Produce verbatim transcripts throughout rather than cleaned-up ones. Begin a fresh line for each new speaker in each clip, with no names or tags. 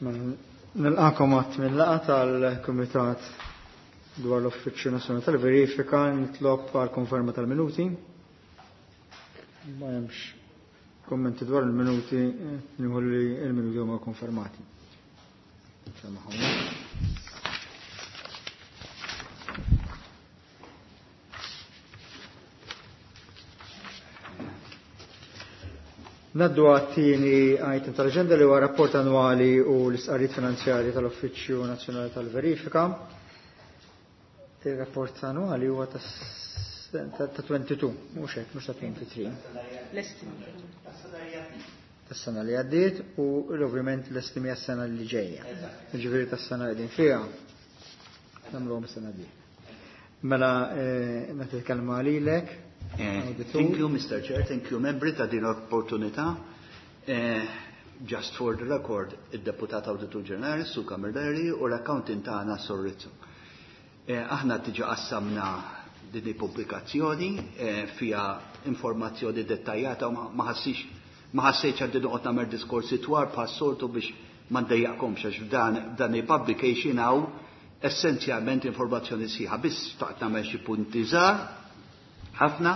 Nilqakom għat mill-laqgħa tal-Kumitat dwar l-Uffiċċju Nazzjonali tal-Verifika, nitlob għal konferma tal-minuti. Ma hemmx kommenti dwar il-minuti, nieħu li l-minuti huma konfermati. Naddu għat-tieni item tal-aġenda li huwa rapport annwali u l-istqarrijiet finanzjarji tal-Uffiċċju Nazzjonali tal-Verifika. Il-rapport annwali huwa ta' twenty-two, mhux hekk, mhux ta' twenty-three. Tas-sena li għaddiet u ovvjament l-estimi għas-sena li ġejja. Jiġifieri tas-sena li qegħdin fiha nagħmluhom is-sena di. Mela nagħti l-kelma lilek.
Thank you, Mister Chair, thank you, membri, ta' din l-opportunità. Just for the record, id-Deputat Awditur Ġenerali, Su Camilleri, u l-accountant tagħna Sur Rizzo. Aħna diġà qassamna din il-pubblikazzjoni fiha informazzjoni dettaljata u ma ħassix ma ħassejtx għandi noqgħod nagħmel diskorsi twal bħas-soltu biex ma ndejjaqkomx għax f'dan dan il-publication hawn essenzjalment informazzjoni sħiħa. Biss xtaqt nagħmel xi punti żgħar ħafna.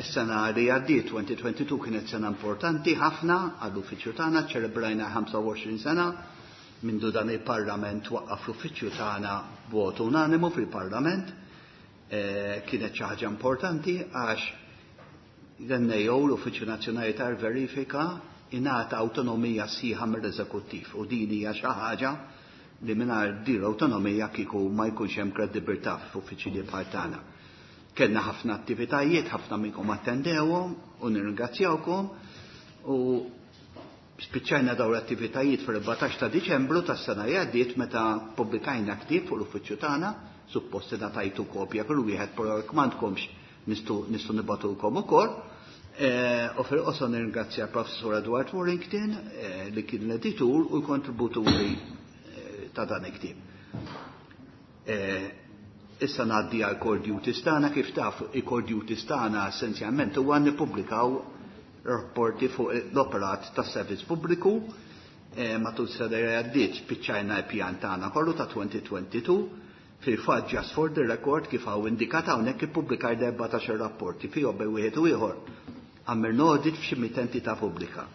Is-sena li għaddiet twenty twenty-two kienet sena importanti ħafna għall-uffiċċju tagħna, ċelebrajna ħamsa u għoxrin sena mindu dan il-Parlament waqqaf l-uffiċċju tagħna b'vot unanimu fil-Parlament. Kienet xi ħaġa importanti għax l-N A O, l-Uffiċċju Nazzjonali tal-Verifika, ingħata awtonomija sħiħa mill-Eżekuttiv u din hija xi ħaġa li mingħajr din l-awtonomija kieku ma jkunx hemm kredibilità f'uffiċċji bħal tagħna. Kellna ħafna attivitajiet, ħafna minnkom attendewhom u nirringrazzjawkom u spiċċajna dawn l-attivitajiet fil-erbatax ta' Diċembru tas-sena li għaddiet meta pubblikajna ktieb fuq l-uffiċċju tagħna, suppost ingħatajtu kopja kull wieħed, però jekk m'għandkomx nistgħu, nistgħu nibgħatulkom ukoll. U fil-qosor nirringrazzja Professur Edward Warrington li kien l-editur u l-kontributuri ta' dan il-ktieb. Issa ngħaddi għal core duties tagħna. Kif taf, il-core duties tagħna essenzjalment huwa nippubblikaw rapporti fuq l-operat tas-servizz pubbliku. Matul sena li għaddiet spiċċajna l-pjan tagħna kollu ta' twenty twenty-two. Fil-fatt, just for the record, kif hawn indikat hawnhekk ippubblikaj erbatax-il rapporti fihom bejn wieħed u ieħor. Għamilna audit f'xi mitt entità pubblika.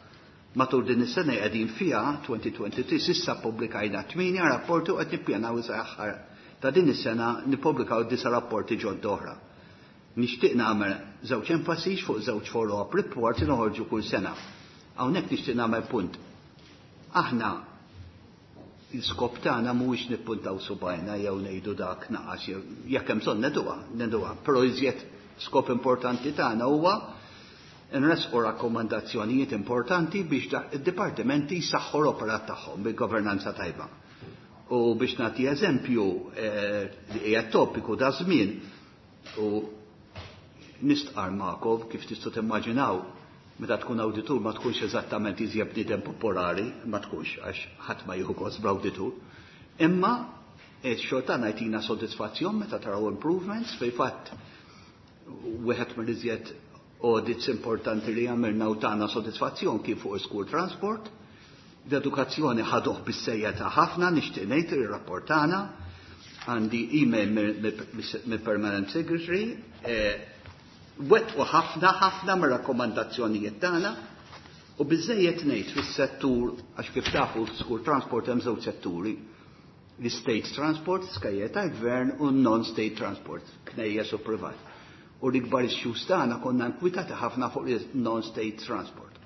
Matul din is-sena qegħdin fiha twenty twenty-three s'issa ppubblikajna tmienja rapporti u qed nippjanaw sa aħħar ta' din is-sena nippubblikaw disa' rapporti ġodda oħra. Nixtieq nagħmel żewġ enfasiġ fuq żewġ follow-up reports li noħorġu kull sena. Hawnhekk nixtieq nagħmel punt. Aħna l-iskop tagħna mhuwiex nippuntaw subajna jew ngħidu dak naqas jew jekk hemm bżonn neduha, neduha. Però iżjed skop importanti tagħna huwa nresqu rakkomandazzjonijiet importanti biex id-dipartimenti jsaħħu l-operat tagħhom bil-governanza tajba. U biex nagħti eżempju li hija topiku da żmien u nistqar magħkom kif tistgħu timmaġinaw meta tkun awditur ma tkunx eżattament iżjed bniedem popolari, ma tkunx għax ħadd ma jieħu gost bl-awditur. Imma x-xogħol tagħna jtina sodisfazzjon meta taraw improvements, fil-fatt wieħed mill-iżjed audits importanti li għamilna u tagħna sodisfazzjon kien fuq school transport. L-edukazzjoni ħaduh bis-sejja ta' ħafna, nixtieq ngħid ir-rapport tagħna. Għandi email mill-Permanent Secretary, wettqu ħafna ħafna mir-rakkomandazzjonijiet tagħna u biżejjed ngħid fis-settur, għax kif tafu school transport hemm żewġ setturi, l-state transport, skajjer tal-gvern, u non-state transport, knejjes u privat. U l-ikbar issues tagħna konna nkwitati ħafna fuq il-non-state transport.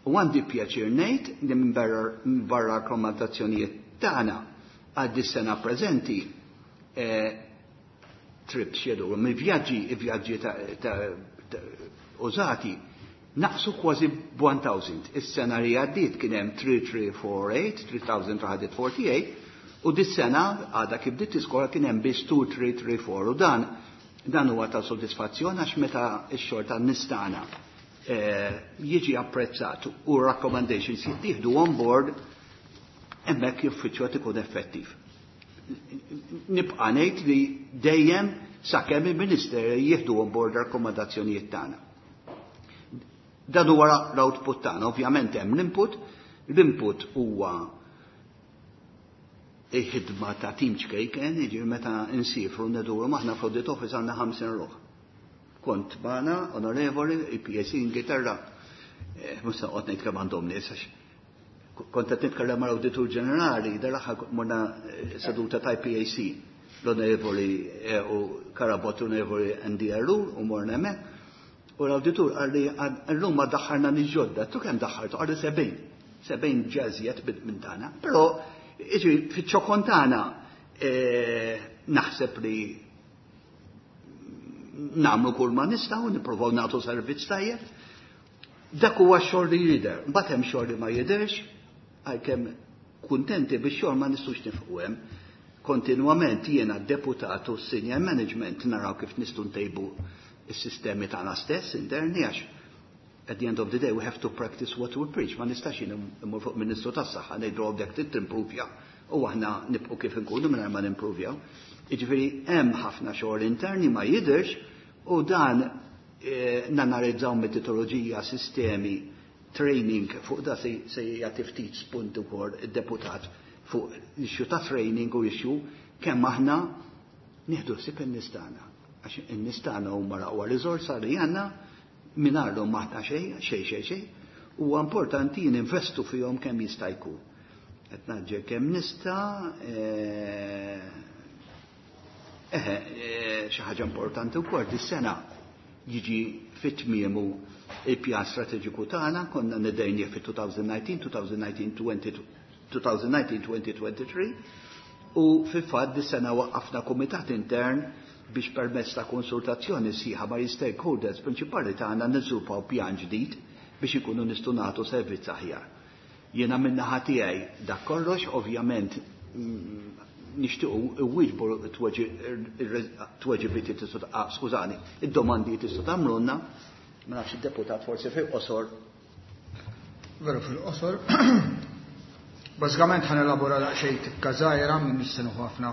U għandi pjaċir ngħid li minn barra rakkomandazzjonijiet tagħna għad dis-sena preżenti trips jedu, mill-vjaġġi, vjaġġi ta' użati naqsu kważi one thousand. Is-sena li għaddiet kien hemm three three four eight, three thousand three hundred forty-eight, u dis-sena għadha kif bdiet iskola kien hemm biss two three three four. U dan, dan huwa ta' sodisfazzjon għax meta x-xogħol tan-nies tagħna jiġi apprezzat u recommendations jittieħdu on board, hemmhekk l-uffiċċju qed ikun effettiv. Nibqa' ngħid li dejjem sakemm il-Ministeri jieħdu on board rakkomandazzjonijiet tagħna. Dan huwa l-output tagħna, ovvjament hemm l-input, L-input huwa il-ħidma ta' tim ċkejken, jiġifieri meta nsifru nduru maħna fl-audit office għandna ħamsin ruħ. Kont magħna, onorevoli, I P A C Ingilterra, eh, mhux se noqgħod ngħid kemm għandhom nies għax kont qed nitkellem mal-Awditur Ġenerali, dal-aħħar morna eh, seduta ta' I P A C, l-onorevoli eh, u Karabot, l-onorevoli Andy Ellul u morna hemmhekk. U l-awditur qalli llum ma daħħalna nies ġodda, tu kemm daħħaltu? Qalli sebgħin. Sebgħin ġażiet minn tagħna. Però jiġi fiċ-ċokon tagħna eh, naħseb li nagħmlu kull ma nistgħu, nippruvaw nagħtu servizz tajjeb. Dak huwa x-xogħol li jidher. Mbagħad hemm xogħol li ma jidherx, għalkemm kuntenti bix-xogħol ma nistgħux nifqu hemm. Kontinwament jiena deputat u senior management naraw kif nistgħu ntejbu is-sistemi tagħna stess interni, għax at the end of the day we have to practice what we preach. Ma nistax jien immur fuq Ministru tas-Saħħa ngħidu għandek timprovja u aħna nibqgħu kif inkunu mingħajr ma nimprovjaw. Jiġifieri hemm ħafna xogħol interni ma jidhirx u dan eh, nanalizzaw metodoloġija, sistemi, training, fuq da se se jagħti ftit spunt ukoll id-deputat fuq issue ta' training u issue kemm aħna nieħdu ħsieb in-nies tagħna. Għax in-nies tagħna huma l-aqwa riżorsa li għandna, mingħajrhom m'aħna xejn, xejn, xejn, xejn. Huwa importanti ninvestu fihom kemm jista' jkun. Qed naġġel kemm nista', eh, eħe, eh, xi ħaġa importanti wkoll, dis-sena jiġi fit-tmiemu il-pjan strateġiku tagħna, konna nedejnieh fit-elfejn u dsatax, elfejn u dsatax-elfejn u tlieta u għoxrin u fil-fatt dis-sena waqqafna kumitat intern biex permezz ta' konsultazzjoni sħiħa ma' stakeholders prinċipali tagħna niżviluppaw pjan ġdid biex ikunu nistgħu nagħtu servizz aħjar. Jiena min-naħa tiegħi dak kollox, ovvjament mm, nixtiequ iwieġbu tweġibiet tistgħu, ah, skużani, id-domandi tistgħu tagħmlulna, ma nafx id-deputat forsi fil-qosor.
Veru fil-qosor. Bażikament ħa nelabora daqsxejn tikka żgħira minn nistenu ħafna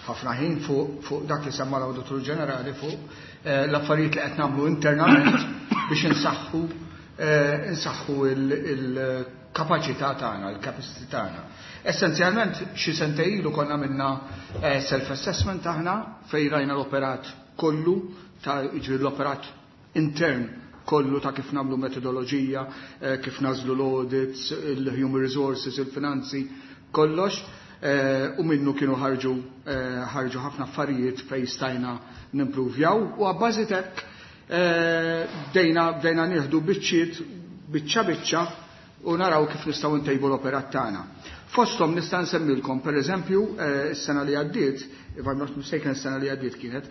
ħafna ħin fuq fuq dak li semma l-Awditur Ġenerali fuq eh, l-affarijiet li qed nagħmlu internament biex insaħħu eh, insaħħu il-kapaċità tagħna, il-capacity tagħna. Essenzjalment xi sentejn ilu konna minna eh, self-assessment aħna fejn rajna l-operat kollu ta' jiġri l-operat intern kollu ta' kif nagħmlu metodoloġija, eh, kif nagħżlu l-audits, il-human resources, il-finanzi, kollox. Eh, u minnu kienu ħarġu eh, ħarġu ħafna affarijiet fejn stajna nimpruvjaw u abbażi t'hekk bdejna bdejna nieħdu biċċiet biċċa biċċa u naraw kif nistgħu ntejbu l-operat tagħna. Fosthom nista' nsemmilkom pereżempju s-sena li għaddiet, if I'm not mistaken s-sena li għaddiet kienet,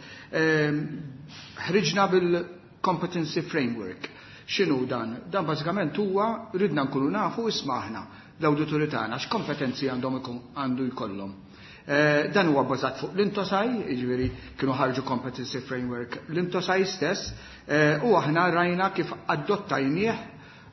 ħriġna bil-competency framework. X'inhu dan? Dan bażikament huwa ridna nkunu nafu, isma', aħna l-awdituri tagħna x'kompetenzi għandhom għandu jkollhom. Eh, dan huwa bbażat fuq l-INTOSAI, jiġifieri kienu ħarġu competency framework l-INTOSAI stess, eh, u aħna rajna kif adottajnieh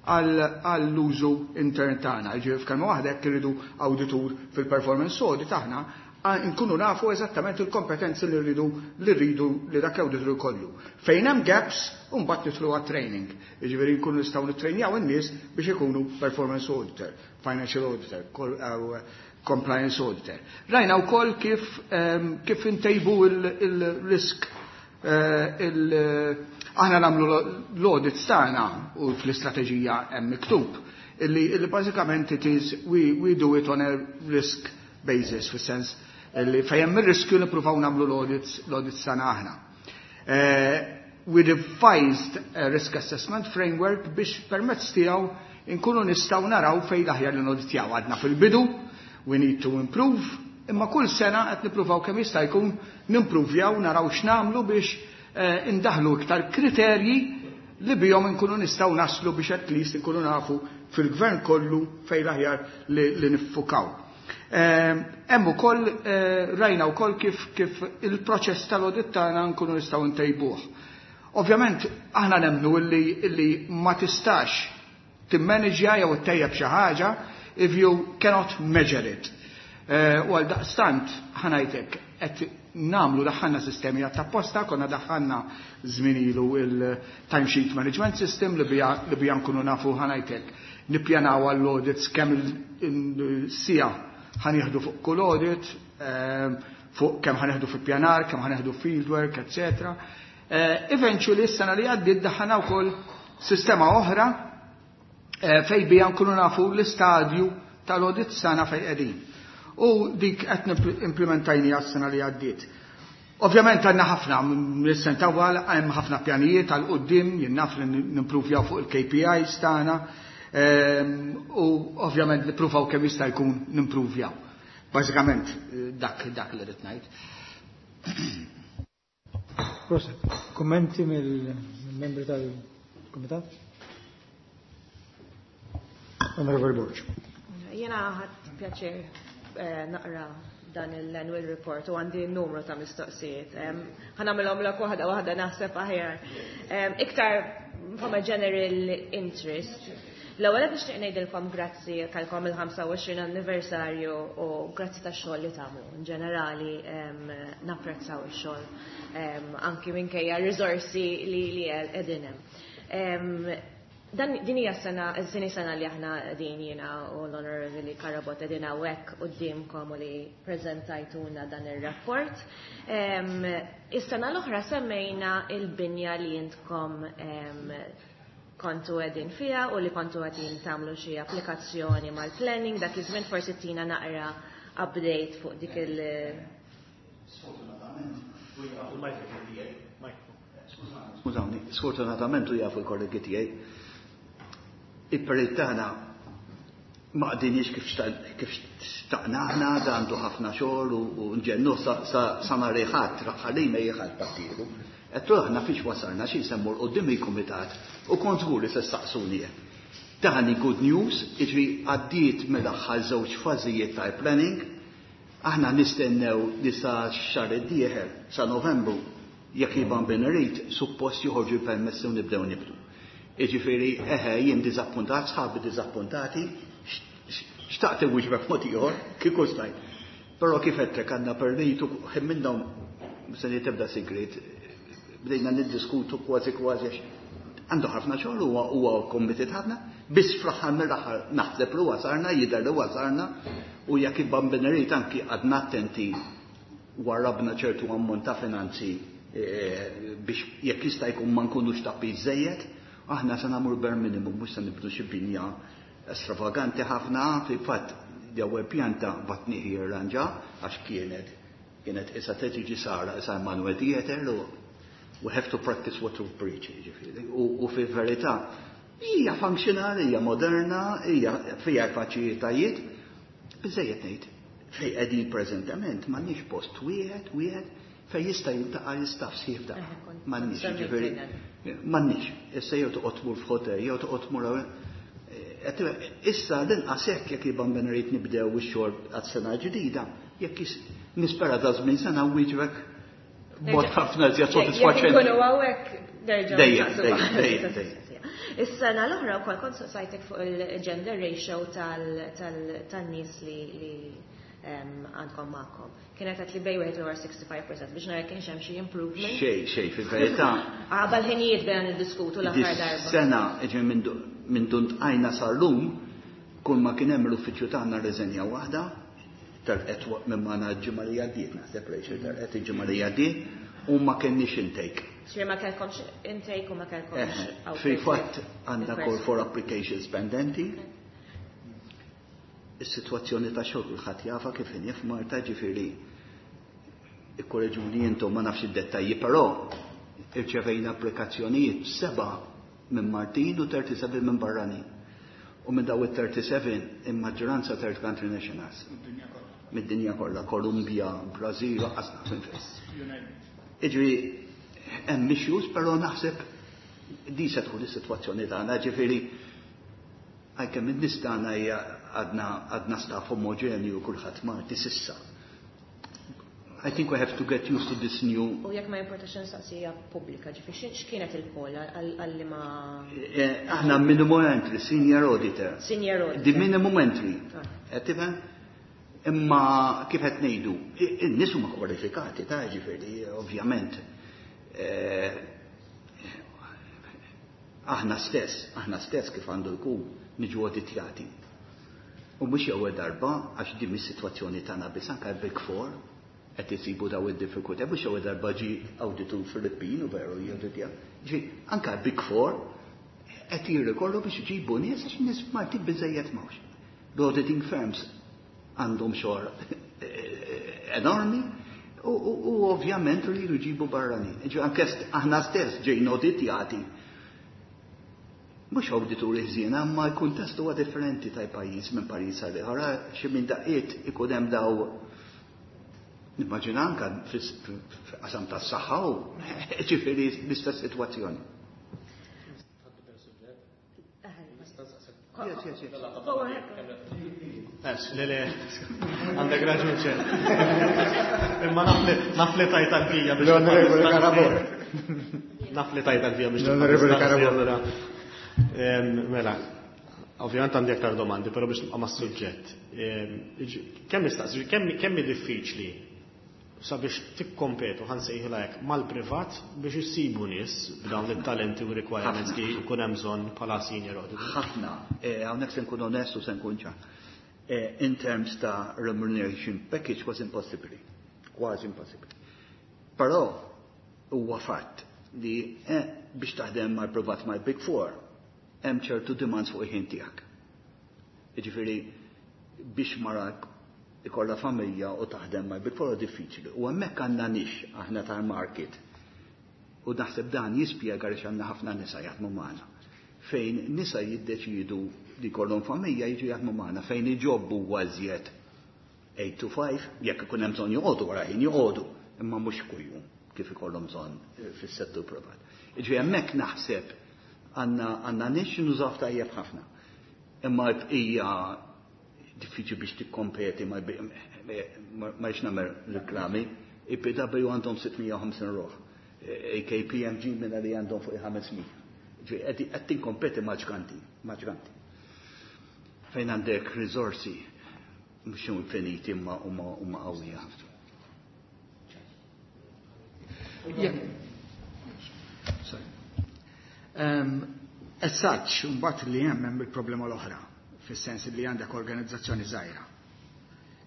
għall-użu intern tagħna. Jiġifieri f'kelma waħda jekk irridu awditur fil-performance audit aħna nkunu nafu eżattament il-kompetenzi li rridu li rridu li dak awditur jkollu. Fejn hemm gaps, mbagħad nidħlu għat-training. Jiġifieri nkunu nistgħu nittrejnjaw in-nies biex ikunu performance auditor, financial auditor, compliance auditor. Rajna wkoll kif kif intejbu il-risk eh, il aħna nagħmlu l-audits tagħna u fl-istrateġija hemm miktub illi, illi bażikament it is we, we do it on a risk basis, fis-sens li fejn hemm ir-riskju nippruvaw nagħmlu l-audits l-audits tagħna aħna. Eh, we revised a risk assessment framework biex permezz tiegħu inkunu nistgħu naraw fejn l-aħjar li noditjaw. Għadna fil-bidu, we need to improve, imma kull sena qed nippruvaw kemm jista' jkun nimpruvjaw, naraw x'nagħmlu biex eh, indaħlu iktar kriterji li bihom inkunu nistgħu naslu biex at least inkunu nafu fil-gvern kollu fejn l-aħjar li, li niffukaw. Eh, hemm ukoll eh, rajna wkoll kif kif il-proċess tal-audit tagħna nkunu nistgħu ntejbuh. Ovvjament aħna nemmnu illi, illi ma tistax timmanagja jew ttejjeb xi ħaġa if you cannot measure it. Eh, u għal daqstant ħa ngħidlek qed nagħmlu, daħħalna sistemi apposta, konna daħħalna żmien ilu il-timesheet management system li bija li bija nkunu nafu, ħa ngħidlek, Nippjanaw għall-audits kemm il-siegħa ħa nieħdu fuq kull audit, ehm, fuq kemm ħa nieħdu fil-pjanar, kemm ħa nieħdu fieldwork, et cetera. Eh, eventually, s-sena li għaddiet daħħalna wkoll sistema oħra eh, fej bija nkunu nafu l-istadju tal-audit sena fej qegħdin. U dik qed implementajni għas-sena li għaddiet. Ovvjament għandna ħafna, mis-sena hemm ħafna pjanijiet għal quddiem, jien naf li nimpruvjaw fuq il-K P Is tagħna, ehm, u ovvjament nippruvaw kemm jista' jkun nimpruvjaw. Bażikament dak dak li rrid ngħid.
Prosit. Kummenti mill-membri tal-Kumitat? Onorevoli Borg.
Jena ħadt pjaċir eh, naqra dan l-annual report u għandi numru ta' mistoqsijiet. Ħa nagħmilhomlok waħda waħda, naħseb aħjar. Iktar from a general interest. L-ewwel qed nixtieq ngħidilkom grazzi talkom il-ħamsa u għoxrin anniversarju u grazzi tax-xogħol li tagħmlu. In ġenerali napprezzaw ix-xogħol anki minkejja r-riżorsi li li qegħdin hemm. Dan din hija sena, it-tieni sena li aħna din jiena u l-Onorevoli Carabott qegħdin hawnhekk quddiemkom u li preżentajtuna dan ir-rapport. Is-sena l-oħra semmejna il-binja li intkom kontu qegħdin fiha u li kontu qegħdin tagħmlu xi applikazzjoni mal-planning, dak iż-żmien forsi tina naqra update fuq dik il-
Sfortunatament, skużawni, sfortunatament u jafu l-kollegi tiegħi, il-perit tagħna ma qdinix kif kif xtaqna aħna, da għandu ħafna xogħol u nġennu sa nhar il-Ħadd, ħalli ma jieħad pattiru. Għedtlu aħna fiex wasalna xi nsemmu 'l quddiem il-kumitat u kont żgur li se ssaqsuni hekk. Tani good news, iġri għaddiet mill-aħħar żewġ fażijiet tal-planning, aħna nistennew li sa xahar id-dieħel, sa Novembru, jekk il-Bambin irid, suppost joħorġu l-permessi u nibdew nibdu. Iġifieri, eħe, jien diżappuntat, sħabi diżappuntati, xtaqt inwieġbek mod ieħor, kieku stajt. Però kif għedtlek, għandna perritu, ħin minnhom se tibda sigrit, bdejna niddiskutu kważi kważi għax għandu ħafna xogħol, huwa huwa committed ħafna, biss fl-aħħar mill-aħħar naħseb li wasalna, jidher li wasalna, u jekk il-Bambin irid anki għadna attenti, warrabna ċertu ammont ta' finanzi eh, biex jekk jista' jkun ma nkunux ta' żejjed, aħna se nagħmlu bare minimum, mhux se nibnu xi binja stravaganti ħafna. Fil-fatt l-ewwel pjanta bgħatnieh jirranġa għax kienet kienet issa tiġi sara issa Emanuel Theater u we have to practice what we preach, ġifieri. U, u fil-verità hija funzjonali, hija moderna, hija fiha faċilitajiet. Biżejjed ngħid, fej qegħdin preżentament m'għandniex post wieħed wieħed fej jista' jiltaqa' l-istaff sħiħ f'daqqa. M'għandniex, ġifieri, m'għandniex. Issa jew toqgħod tmur f'hotel, jew toqgħod tmur issa l-inqas hekk jekk il-Bambin irid nibdew ix-xogħol għas-sena ġdida, jekk nispera da żmien sena wieġbek b'mod ħafna iżjed sodisfaċenti.
Jekk hawnhekk nerġgħu.
Dejjem, dejjem, dejjem, dejjem.
Is-sena l-oħra wkoll kont saqsajtek fuq il-gender ratio tan-nies li li għandkom magħkom. Kienet għedt li bejn wieħed u ħamsa u sittin fil-mija biex nara kienx hemm xi improvement.
Xej, xej, fil-verità.
Għabal ħinijiet bejn niddiskutu l-aħħar darba.
Sena, ġi minn dunt għajna sal-lum, kull ma kien hemm l-uffiċċju tagħna rriżenja waħda, telqet minn magħna l-ġimgħa li għaddiet, naħseb Rachel telqet il-ġimgħa li għaddiet, u ma kenniex intake.
Ġifieri ma kellkomx intake u ma kellkomx.
Fil-fatt għandna call for applications pendenti. Is-sitwazzjoni ta' xogħol kulħadd jafa kif inhi f'Malta, ġifieri ikkoreġuni intom, ma nafx id-dettalji, però irċevejna applikazzjonijiet, seba' minn Maltin u tletin u sebgħa minn barranin. U minn daw it-tletin u sebgħa il-maġġoranza third country nationals. Mid-dinja kollha, Kolumbja, Brażil, qasna minn fejn. Iġri hemm issues, però naħseb di se tkun is-sitwazzjoni tagħna, ġifieri għalkemm in-nies tagħna hija għadna għadna staff omogenju, kulħadd Malti s'issa. I think we have to get used to this new.
U jekk ma jimportax nistaqsija pubblika, ġifieri x'kienet il-call għalli ma.
Eh, aħna minimum entry, senior auditor.
Senior auditor.
The minimum entry.
Ah.
Qed tifhem? Imma kif qed ngħidu, in-nies huma kwalifikati ta' ġifieri, ovvjament. Eh, Aħna stess, aħna stess kif għandu jkun niġu auditjati. U mhux ewwel darba, għax din is-sitwazzjoni tagħna biss, anke Big Four qed isibu daw id-diffikultà, mhux ewwel darba ġi awditur Filippin u veru jawditja. Ġi anke Big Four qed jirrikorru biex iġibu nies għax nies Maltin biżejjed m'hawnx. L-auditing firms għandhom xogħol enormi u, u, u ovvjament rridu jġibu barranin. Ġi anke aħna stess ġejna auditjati. Mhux awdituri ħżiena, ma l-kuntest huwa differenti ta' pajjiż minn pajjiż għal ieħor. Xi minn daqqiet ikun hemm daw, nimmaġina anke fil-qasam tas-saħħa u ġifieri l-istess sitwazzjoni. Yes, yes, yes.
Le, le, għandek raġun ċer. Imma naf li tajt għal-fija biex.
L-Onorevoli Carabò.
Naf li tajt għal-fija biex.
L-Onorevoli Carabò.
Mela, ovvjament għandi aktar domandi, però biex nibqa' mas-suġġett. Kemm nistaqsi, kemm diffiċli sabiex tikkompetu, ħa nsejħilha hekk, mal-privat biex issibu nies b'dawn it-talenti u requirements li jkun hemm bżonn bħala senior auditor?
Ħafna. Hawnhekk se nkun onest u se nkun ċar. In terms ta' remuneration package kważi impossibbli. Kważi impossibbli. Però huwa fatt li biex taħdem mal-privat mal-Big Four hemm ċertu demands fuq il-ħin tiegħek. Jiġifieri biex mara ikollha familja u taħdem mal-Big Four diffiċli. U hemmhekk għandna niche aħna tal-market. U naħseb dan jispjega għaliex għandna ħafna nisa jaħdmu magħna. Fejn nisa jiddeċidu li jkollhom familja jiġu jaħdmu magħna, fejn iġobbu iżjed eight to five, jekk ikun hemm bżonn joqogħdu wara ħin joqogħdu, imma mhux kuljum kif ikollhom bżonn fis-settur privat. Jiġifieri hemmhekk naħseb għandna għandna niche nużaw tajjeb ħafna. Imma l-bqija diffiċli biex tikkompeti ma rridx nagħmel reklami. I P W għandhom sitt mija u ħamsin ruħ. K P M G minna li għandhom fuq ħames mija. Qed tinkompeti ma' ġganti, ma' ġganti. Fejn għandek risorsi mhux infiniti, imma huma huma qawwija ħafna.
Yeah. Sorry. Um, as such, mbagħad li hemm hemm il-problema l-oħra, fis-sens li għandek organizzazzjoni żgħira.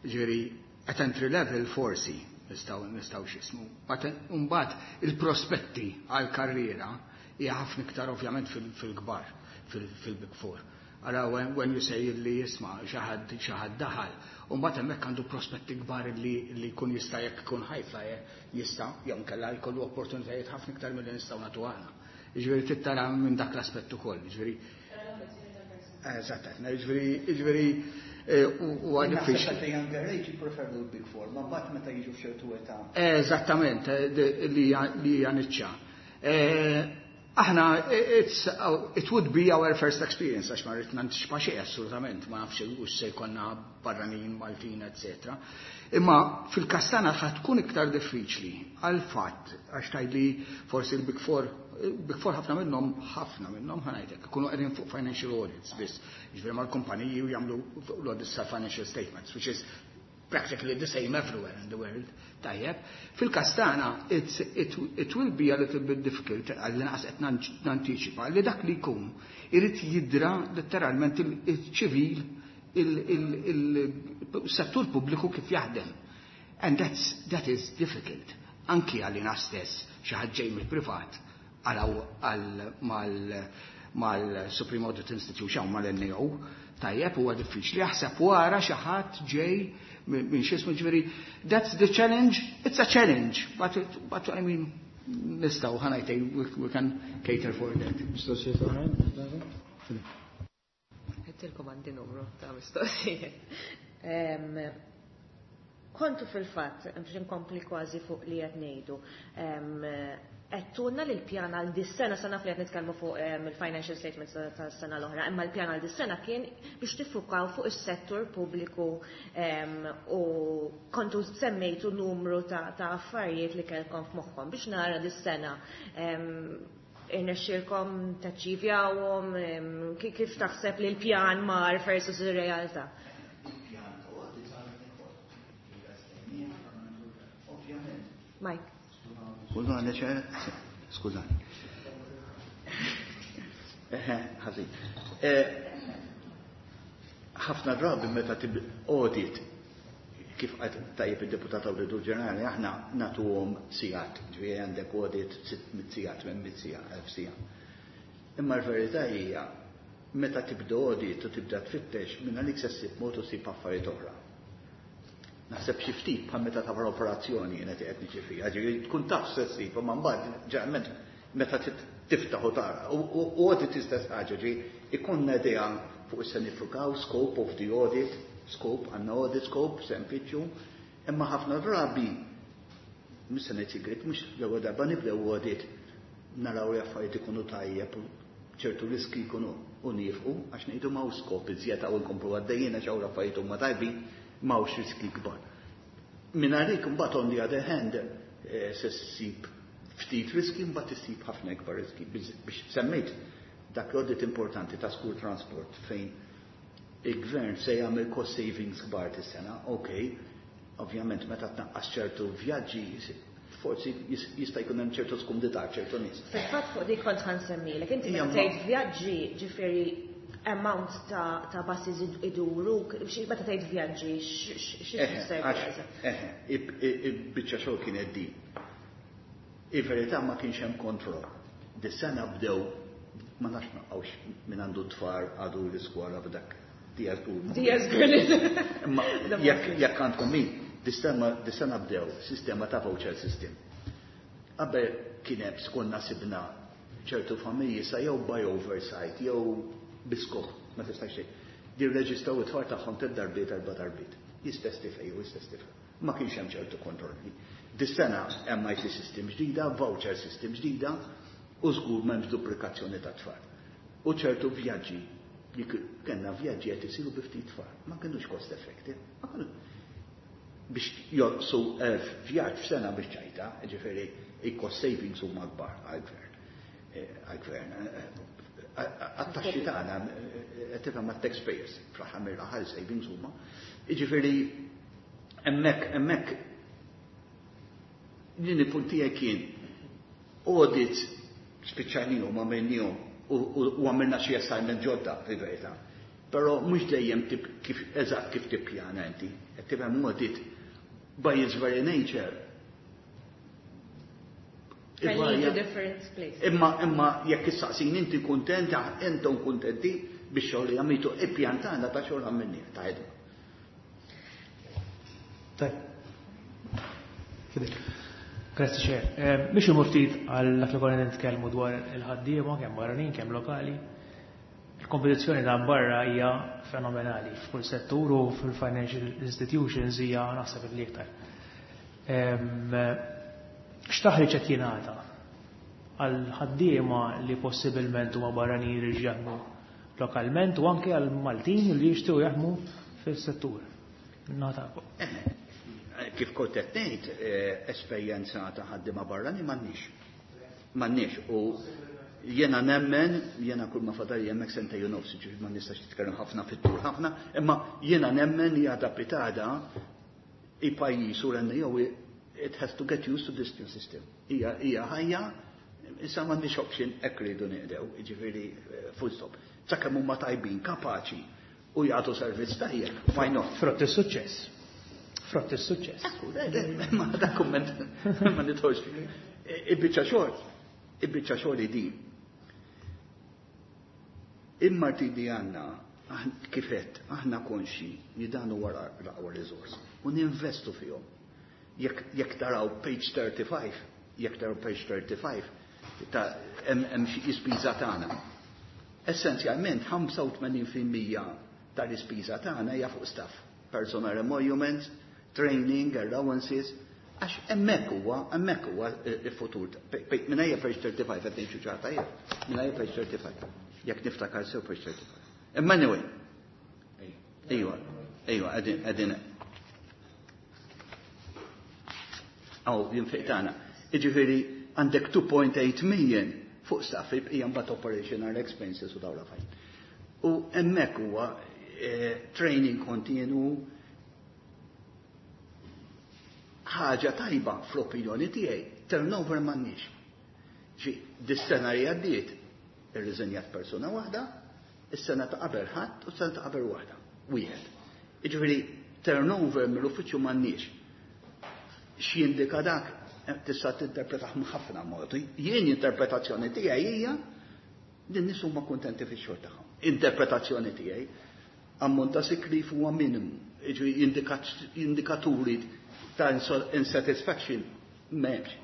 Ġifieri, at entry level forsi nistgħu nistgħu x'ismu. Mbagħad il-prospetti għal karriera hija ħafna iktar ovvjament fil-kbar, fil-Big Four. Ara when, when you say li jisma' xi ħadd xi ħadd daħal, u mbagħad hemmhekk għandu prospetti kbar li li jkun jista' jekk ikun high flyer jista' jew inkella jkollu opportunitajiet ħafna iktar milli nistgħu nagħtu aħna. Jiġifieri tittara minn dak l-aspett ukoll, jiġifieri Eżatt, jiġifieri jiġifieri huwa diffiċli.
Naħseb younger age jippreferu l-Big Four, ma mbagħad meta jiġu f'ċertu età.
Eżattament, li hija niċċa. Aħna, it's, it would be our first experience, għax ma rrid nantiċipa xejn assolutament, ma nafx u se jkollna barranin, Maltin, eccetera. Imma fil-każ tagħna ħa tkun iktar diffiċli għal fatt, għax tgħidli forsi l-Big Four, Big Four ħafna minnhom, ħafna minnhom, ħa ngħidlek, ikunu qegħdin fuq financial audits biss, jiġifieri mal-kumpaniji u jagħmlu l-audits ta' financial statements, which is practically the same everywhere in the world. Tajjeb. Fil-każ tagħna, it, it will be a little bit difficult, għall-inqas qed nantiċipa, li dak li jkun irid jidra letteralment il-ċivil, il-settur pubbliku kif jaħdem. And that's, that is difficult. Anki għalina stess, xi ħadd ġej mill-privat għal mal-Supreme Audit Institution, mal-N A O, tajjeb, huwa diffiċli. Jaħseb wara xi ħadd ġej minn x'ismu, ġifieri, that's the challenge, it's a challenge, but, it, but I mean, nistgħu, ħa ngħid, we, we can cater for that.
Mistoqsijiet oħrajn?
Għedtilkom għandi numru ta' mistoqsijiet. Kontu fil-fatt, biex nkompli kważi fuq li qed ngħidu, għedtulna li l-pjan għal dis-sena, sa naf li qed nitkellmu fuq il-financial statements tas-sena l-oħra, imma l-pjan għal dis-sena kien biex tiffukaw fuq is-settur pubbliku u kontu semmejtu numru ta' affarijiet li kellkom f'moħħkom biex nara dis-sena irnexxielkom taċċivjawhom, kif taħseb li l-pjan mar versus ir-realtà?
Il-pjan ta' audit għal ovvjament.
Mike.
Skużani, ċe, skużani. Eħe, ħażin. Ħafna drabi meta audit, kif qed tajjeb id-deputat Awditur Ġenerali, aħna nagħtuhom sigħat, ġifieri għandek audit sitt mitt siegħa, tmien mitt siegħa, elf siegħa. Imma l-verità hija meta tibda audit u tibda tfittex minn għalik se ssib mod u ssib affarijiet oħra. Naħseb xi ftit bħal meta tagħmel operazzjoni jiena qed niġi fiha, ġifieri tkun taf se ssib, imma mbagħad ġeneralment meta tiftaħ u tara. U audit istess ħaġa, ġifieri ikollna idea fuq se nifukaw, scope of the audit, scope, għandna audit scope, se nfittxu, imma ħafna drabi, mhux se ngħid sigriet, mhux l-ewwel darba nibdew audit, naraw li affarijiet ikunu tajjeb, ċertu riski jkunu u nifqu, għax ngħidu m'hawnx scope iżjed hawn nkomplu għaddejjin għax hawn l-affarijiet huma tajbin, m'hawnx riski kbar. Minn għalik imbagħad on the other hand, se ssib ftit riski, mbagħad issib ħafna ikbar riski. Biex semmejt dak l-audit importanti ta' school transport fejn il-gvern se jagħmel cost savings kbar tis-sena, ok, ovvjament meta tnaqqas ċertu vjaġġi forsi jista' jkun hemm ċertu skumdità ċertu nies.
Fil-fatt fuq dik kont ħansemmilek, inti meta tgħid vjaġġi ġifieri amount ta' ta' buses iduru, meta tgħid vjaġġi xi tfisser?
Eħe, il-biċċa xogħol kienet din. Il-verità ma kienx hemm kontroll. Dis-sena bdew ma nafx naqgħux minn għandu tfal għadu l-iskola b'dak Diaz Gurn.
Diaz Gurn.
Imma jekk għandkom min, dis-sena bdew sistema ta' voucher system. Qabel kien hemm skonna sibna ċertu familji sa jew by oversight jew biskop, ma tistax xejn. Jirreġistraw it-tfal tagħhom tliet darbiet, erba' darbiet. Jistess tifel jew istess tifel. Ma kienx hemm ċertu kontrolli. Dis-sena hemm I T system ġdida, voucher system ġdida, u żgur m'hemmx duplikazzjoni ta' tfal. U ċertu vjaġġi li kellna vjaġġi qed isiru bi ftit tfal, ma kinux cost effective. Ma kienu biex jonqsu elf vjaġġ f'sena biex ċajta, ġifieri il-cost savings huma kbar għall-gvern. Għall-gvern. Għat-taxxi tagħna qed tifhem mat-taxpayers, fl-aħħar mill-aħħar savings huma. Jiġifieri hemmhekk hemmhekk din il-punt tiegħi kien audit spiċċajnihom għamilnihom u għamilna xi assignment ġodda fil-verità. Però mhux dejjem kif eżatt kif tippjana inti, qed tifhem audit by its very nature.
Can lead to different places.
Imma imma jekk issaqsin inti kuntent, intom kuntenti biex xogħol li għamiltu ippjantana ta' xogħol għamilni ta' ħidma.
Tajb. Fidek. Grazzi Chair. Biex imur ftit għal dak li konna nitkellmu dwar il-ħaddiema kemm barranin kemm lokali. Il-kompetizzjoni ta' barra hija fenomenali f'kull settur u fil-financial institutions hija naħseb li iktar. X'taħriġ qed jingħata għal ħaddiema li possibilment huma barranin li jaħdmu lokalment u anke għal Maltin li jixtiequ jaħdmu fis-settur. Nagħtakom.
Kif kont qed ngħid, esperjenza ta' ħaddiema barrani m'għandniex. M'għandniex u jiena nemmen, jiena kull ma fadal hemmhekk sentejn u nofs, ġifieri ma nistax titkellem ħafna fit-tul ħafna, imma jiena nemmen li għadha pitada il-pajjiż u l-N O it has to get used to this new system. Hija hija ħajja, issa m'għandniex option hekk rridu nieqdew, jiġifieri full stop. Sakemm huma tajbin, kapaċi u jagħtu servizz tajjeb, why not?
Frott is-suċċess. Frott is-suċċess.
Ekku, ma dak kumment ma nidħolx fih. Il-biċċa xogħol, il-biċċa xogħol din. Il-Martidi għandna kifet, aħna konxi li dan huwa l-aqwa riżors u ninvestu fihom. Jekk jekk taraw page thirty-five, jekk taraw page thirty-five ta' hemm xi ispiża tagħna. Essenzjalment ħamsa u tmenin fil-mija tal-ispiża tagħna hija fuq staff, personal emoluments, training, allowances, għax hemmhekk huwa, hemmhekk huwa il-futur. Mingħajr page thirty-five qed ngħid xi ċarta jien, mingħajr page thirty-five. Jekk niftakar sew page thirty-five. Imma anyway. Ejwa, ejwa, qegħdin qegħdin. Aw, jinfiq tagħna. Jiġifieri għandek two point eight million fuq staff hija mbagħad operational expenses u dawn l-affarijiet. U hemmhekk huwa training kontinu ħaġa tajba fl-opinjoni tiegħi, turnover m'għandniex. Ġi, dis-sena li għaddiet, Irriżenjat persuna waħda, is-sena ta' qabel ħadd u s-sena ta' qabel waħda. Wieħed. Jiġifieri turnover mill-uffiċċju m'għandniex. X'jindika dak tista' tinterpretah ħafna modi. Jien interpretazzjoni tiegħi hija li n-nies huma kuntenti fix-xogħol tagħhom. Interpretazzjoni tiegħi ammont ta' sick leave huwa minimu, jiġifieri indikaturi ta' insatisfaction m'hemmx.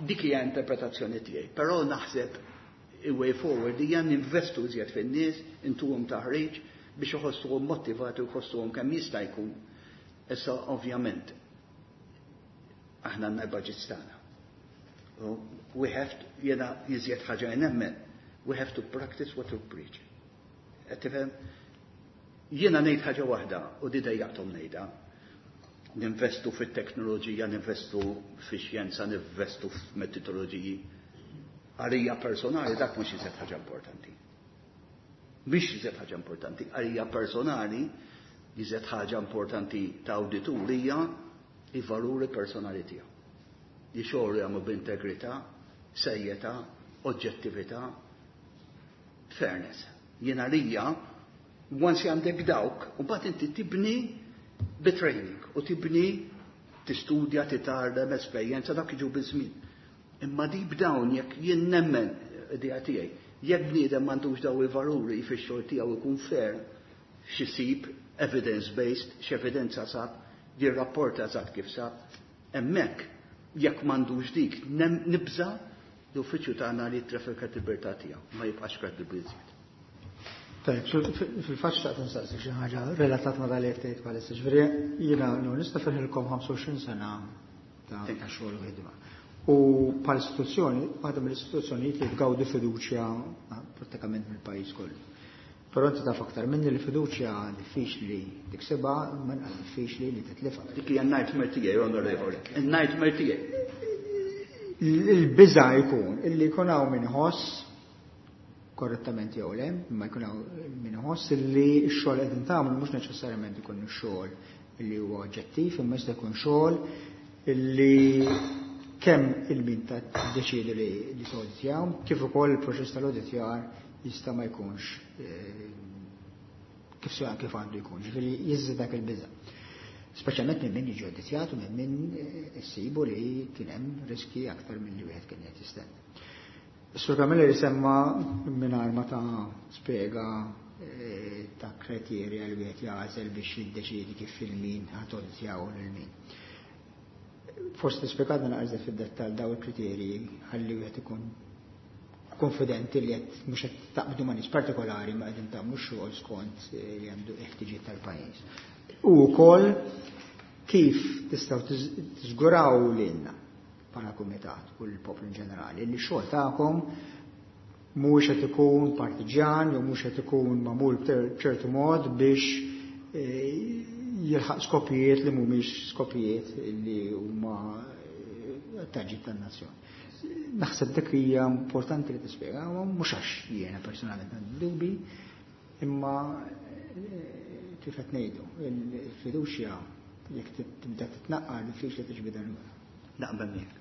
Dik hija interpretazzjoni tiegħi, però naħseb il-way forward hija ninvestu iżjed fin-nies, intuhom taħriġ biex iħossuhom motivati u jħossuhom kemm jista' jkun. Issa ovvjament aħna għandna l-budgets tagħna. We have to, jiena iżjed ħaġa nemmen, we have to practice what we preach. Qed tifhem? Jiena ngħid ħaġa waħda u di dejjaqthom ngħidha. Ninvestu fit-teknoloġija, ninvestu fix-xjenza, ninvestu f'metodoloġiji. Għalija personali dak mhux iżjed ħaġa importanti. Mhix iżjed ħaġa importanti. Għalija personali iżjed ħaġa importanti ta' awditur hija i valuri personali tiegħu. Li xogħol jagħmlu b'integrità, serjetà, oġġettività, fairness. Jien għalija, once għandek dawk, u mbagħad inti tibni bi-training u tibni tistudja, titgħallem esperjenza dak jiġu biż-żmien. Imma deep down jekk jien nemmen idea tiegħi, jekk bniedem m'għandux daw il-valuri fix-xogħol tiegħu ikun fair, x'isib evidence-based, x'evidenza sab, jirrapporta eżatt kif sab, hemmhekk jekk m'għandux dik nibża l-uffiċċju tagħna li jitlef il-kredibilità tiegħu, ma jibqax kredibbli iżjed.
Tajb, fil-fatt xtaqt nsaqsi xi ħaġa relatat ma' dal tgħid bħalissa. Ġifieri jiena nista' nifirħilkom ħamsa u għoxrin sena ta' xogħol u ħidma. U bħal istituzzjoni, waħda mill-istituzzjonijiet li tgawdi fiduċja prattikament mill-pajjiż kollu. Però inti taf aktar minni li fiduċja diffiċli tiksibha, imma inqas diffiċli li titlifha.
Dik hija nightmare tiegħi, onorevoli. Il-nightmare tiegħi.
Il-biża' jkun illi jkun hawn min iħoss korrettament jew le, imma jkun hawn min iħoss illi x-xogħol qegħdin tagħmlu mhux neċessarjament ikun ix-xogħol illi huwa oġġettiv, imma jista' jkun xogħol illi kemm il-min ta' deċidu li li tawditjaw, kif ukoll il-proċess tal-awditjar jista' ma jkunx kif sew kif għandu jkun, ġifieri jiżżid dak il-biża'. Speċjalment minn min jiġi awditjat u minn min issibu li kien hemm riski aktar minn li wieħed kien qed jistenna. Sur Camilleri semma mingħajr ma ta' spjega ta' kriterja li wieħed jagħżel biex jiddeċiedi kif il-min ħa tawditjaw lil min. Forsi tispjegalna naqra fid-dettall daw il-kriterji ħalli wieħed ikun konfidenti li qed mhux qed taqbdu ma' nies partikolari ma qegħdin tagħmlu xogħol skont li għandu ħtiġijiet tal-pajjiż. U wkoll kif tistgħu tiżguraw lilna bħala kumitat u l-poplu in ġenerali li x-xogħol tagħkom mhuwiex qed ikun partiġjan jew mhux qed ikun magħmul b'ċertu mod biex jilħaq skopijiet li mhumiex skopijiet li huma ta' ġid tan-nazzjon. Naħseb dik hija importanti li tispjega, mhux għax jiena personalment għandi dubi, imma kif qed ngħidu, il-fiduċja jekk tibda titnaqqar diffiċli tiġbidha lura.
Naqbel miegħek.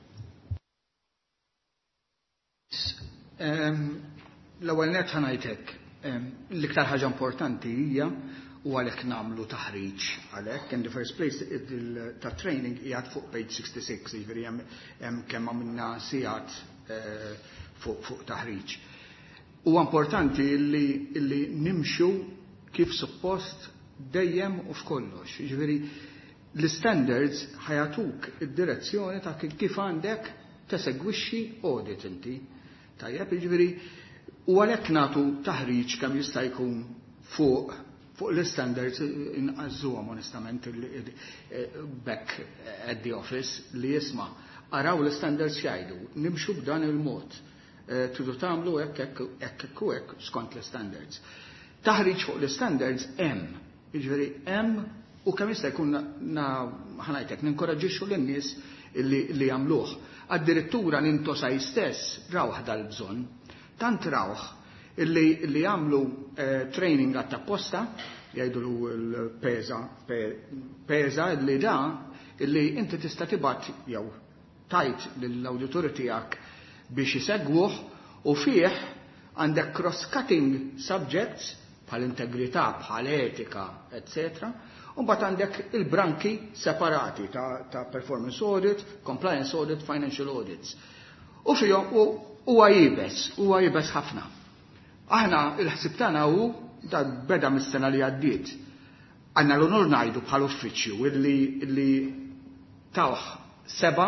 L-ewwel nett ħa ngħidlek, l-iktar ħaġa importanti hija u għalhekk nagħmlu taħriġ għalhekk in the first place ta' training qiegħed fuq page sixty-six, jiġifieri hemm kemm għamilna sigħat fuq taħriġ. Huwa importanti li, li nimxu kif suppost dejjem u f'kollox. Jiġifieri l-standards ħa jagħtuk id-direzzjoni ta' kif għandek tesegwixxi audit inti. Tajjeb, jiġifieri u għalhekk nagħtu taħriġ kemm jista' jkun fuq fuq l-standards inqażżuhom onestament back at the office li jisma' araw l-standards jgħidu, nimxu b'dan il-mod. Tridu tagħmlu hekk hekk hekk u hekk skont l-standards. Taħriġ fuq l-standards hemm, jiġifieri hemm u kemm jista' jkun ħa ngħidlek ninkoraġġixxu lin-nies li, li jagħmluh. Addirittura l-INTOSAI stess rawh dal-bżonn, tant rawh illi li jagħmlu eh, training għat-apposta, jgħidulu l-PESA, PESA li da illi inti tista' tibgħat jew tajt lill-awdituri tiegħek biex isegwuh U fih għandek cross-cutting subjects bħal integrità, bħal etika, eccetera. U mbagħad għandek il-branki separati ta', ta performance audit, compliance audit, financial audits. U fihom huwa iebes, huwa iebes ħafna. Aħna il-ħsib tagħna hu da beda mis-sena li għaddiet. Għandna l-onur ngħidu bħal uffiċċju illi, illi tawh seba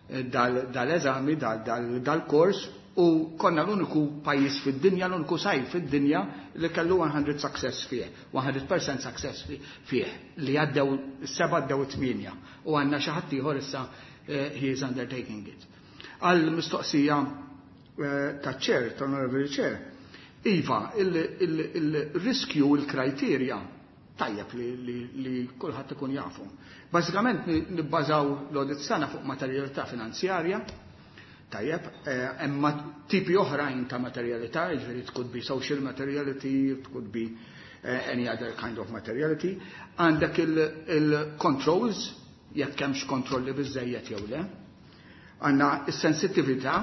dal-eżami, dal-kors, u konna l-uniku pajjiż fid-dinja, l-uniku sajf fid-dinja li kellu mija success fih, mija fil-mija success fih, li għaddew seba, għaddew tmienja, u għandna xi ħadd ieħor issa eh, he is undertaking it. Għal mistoqsija eh, ta' chair, ta' honorable chair, iva, il-riskju, il-kriterja, tajjeb li, li, li kulħadd ikun jafu. Bażikament nibbażaw l-audit tagħna fuq materjalità finanzjarja. Tajjeb, hemm tipi oħrajn ta' materialità, jiġifieri it could be social materiality, it could be any other kind of materiality. Għandek il-controls, jekk hemmx kontrolli biżejjed jew le. Għandna is-sensitività,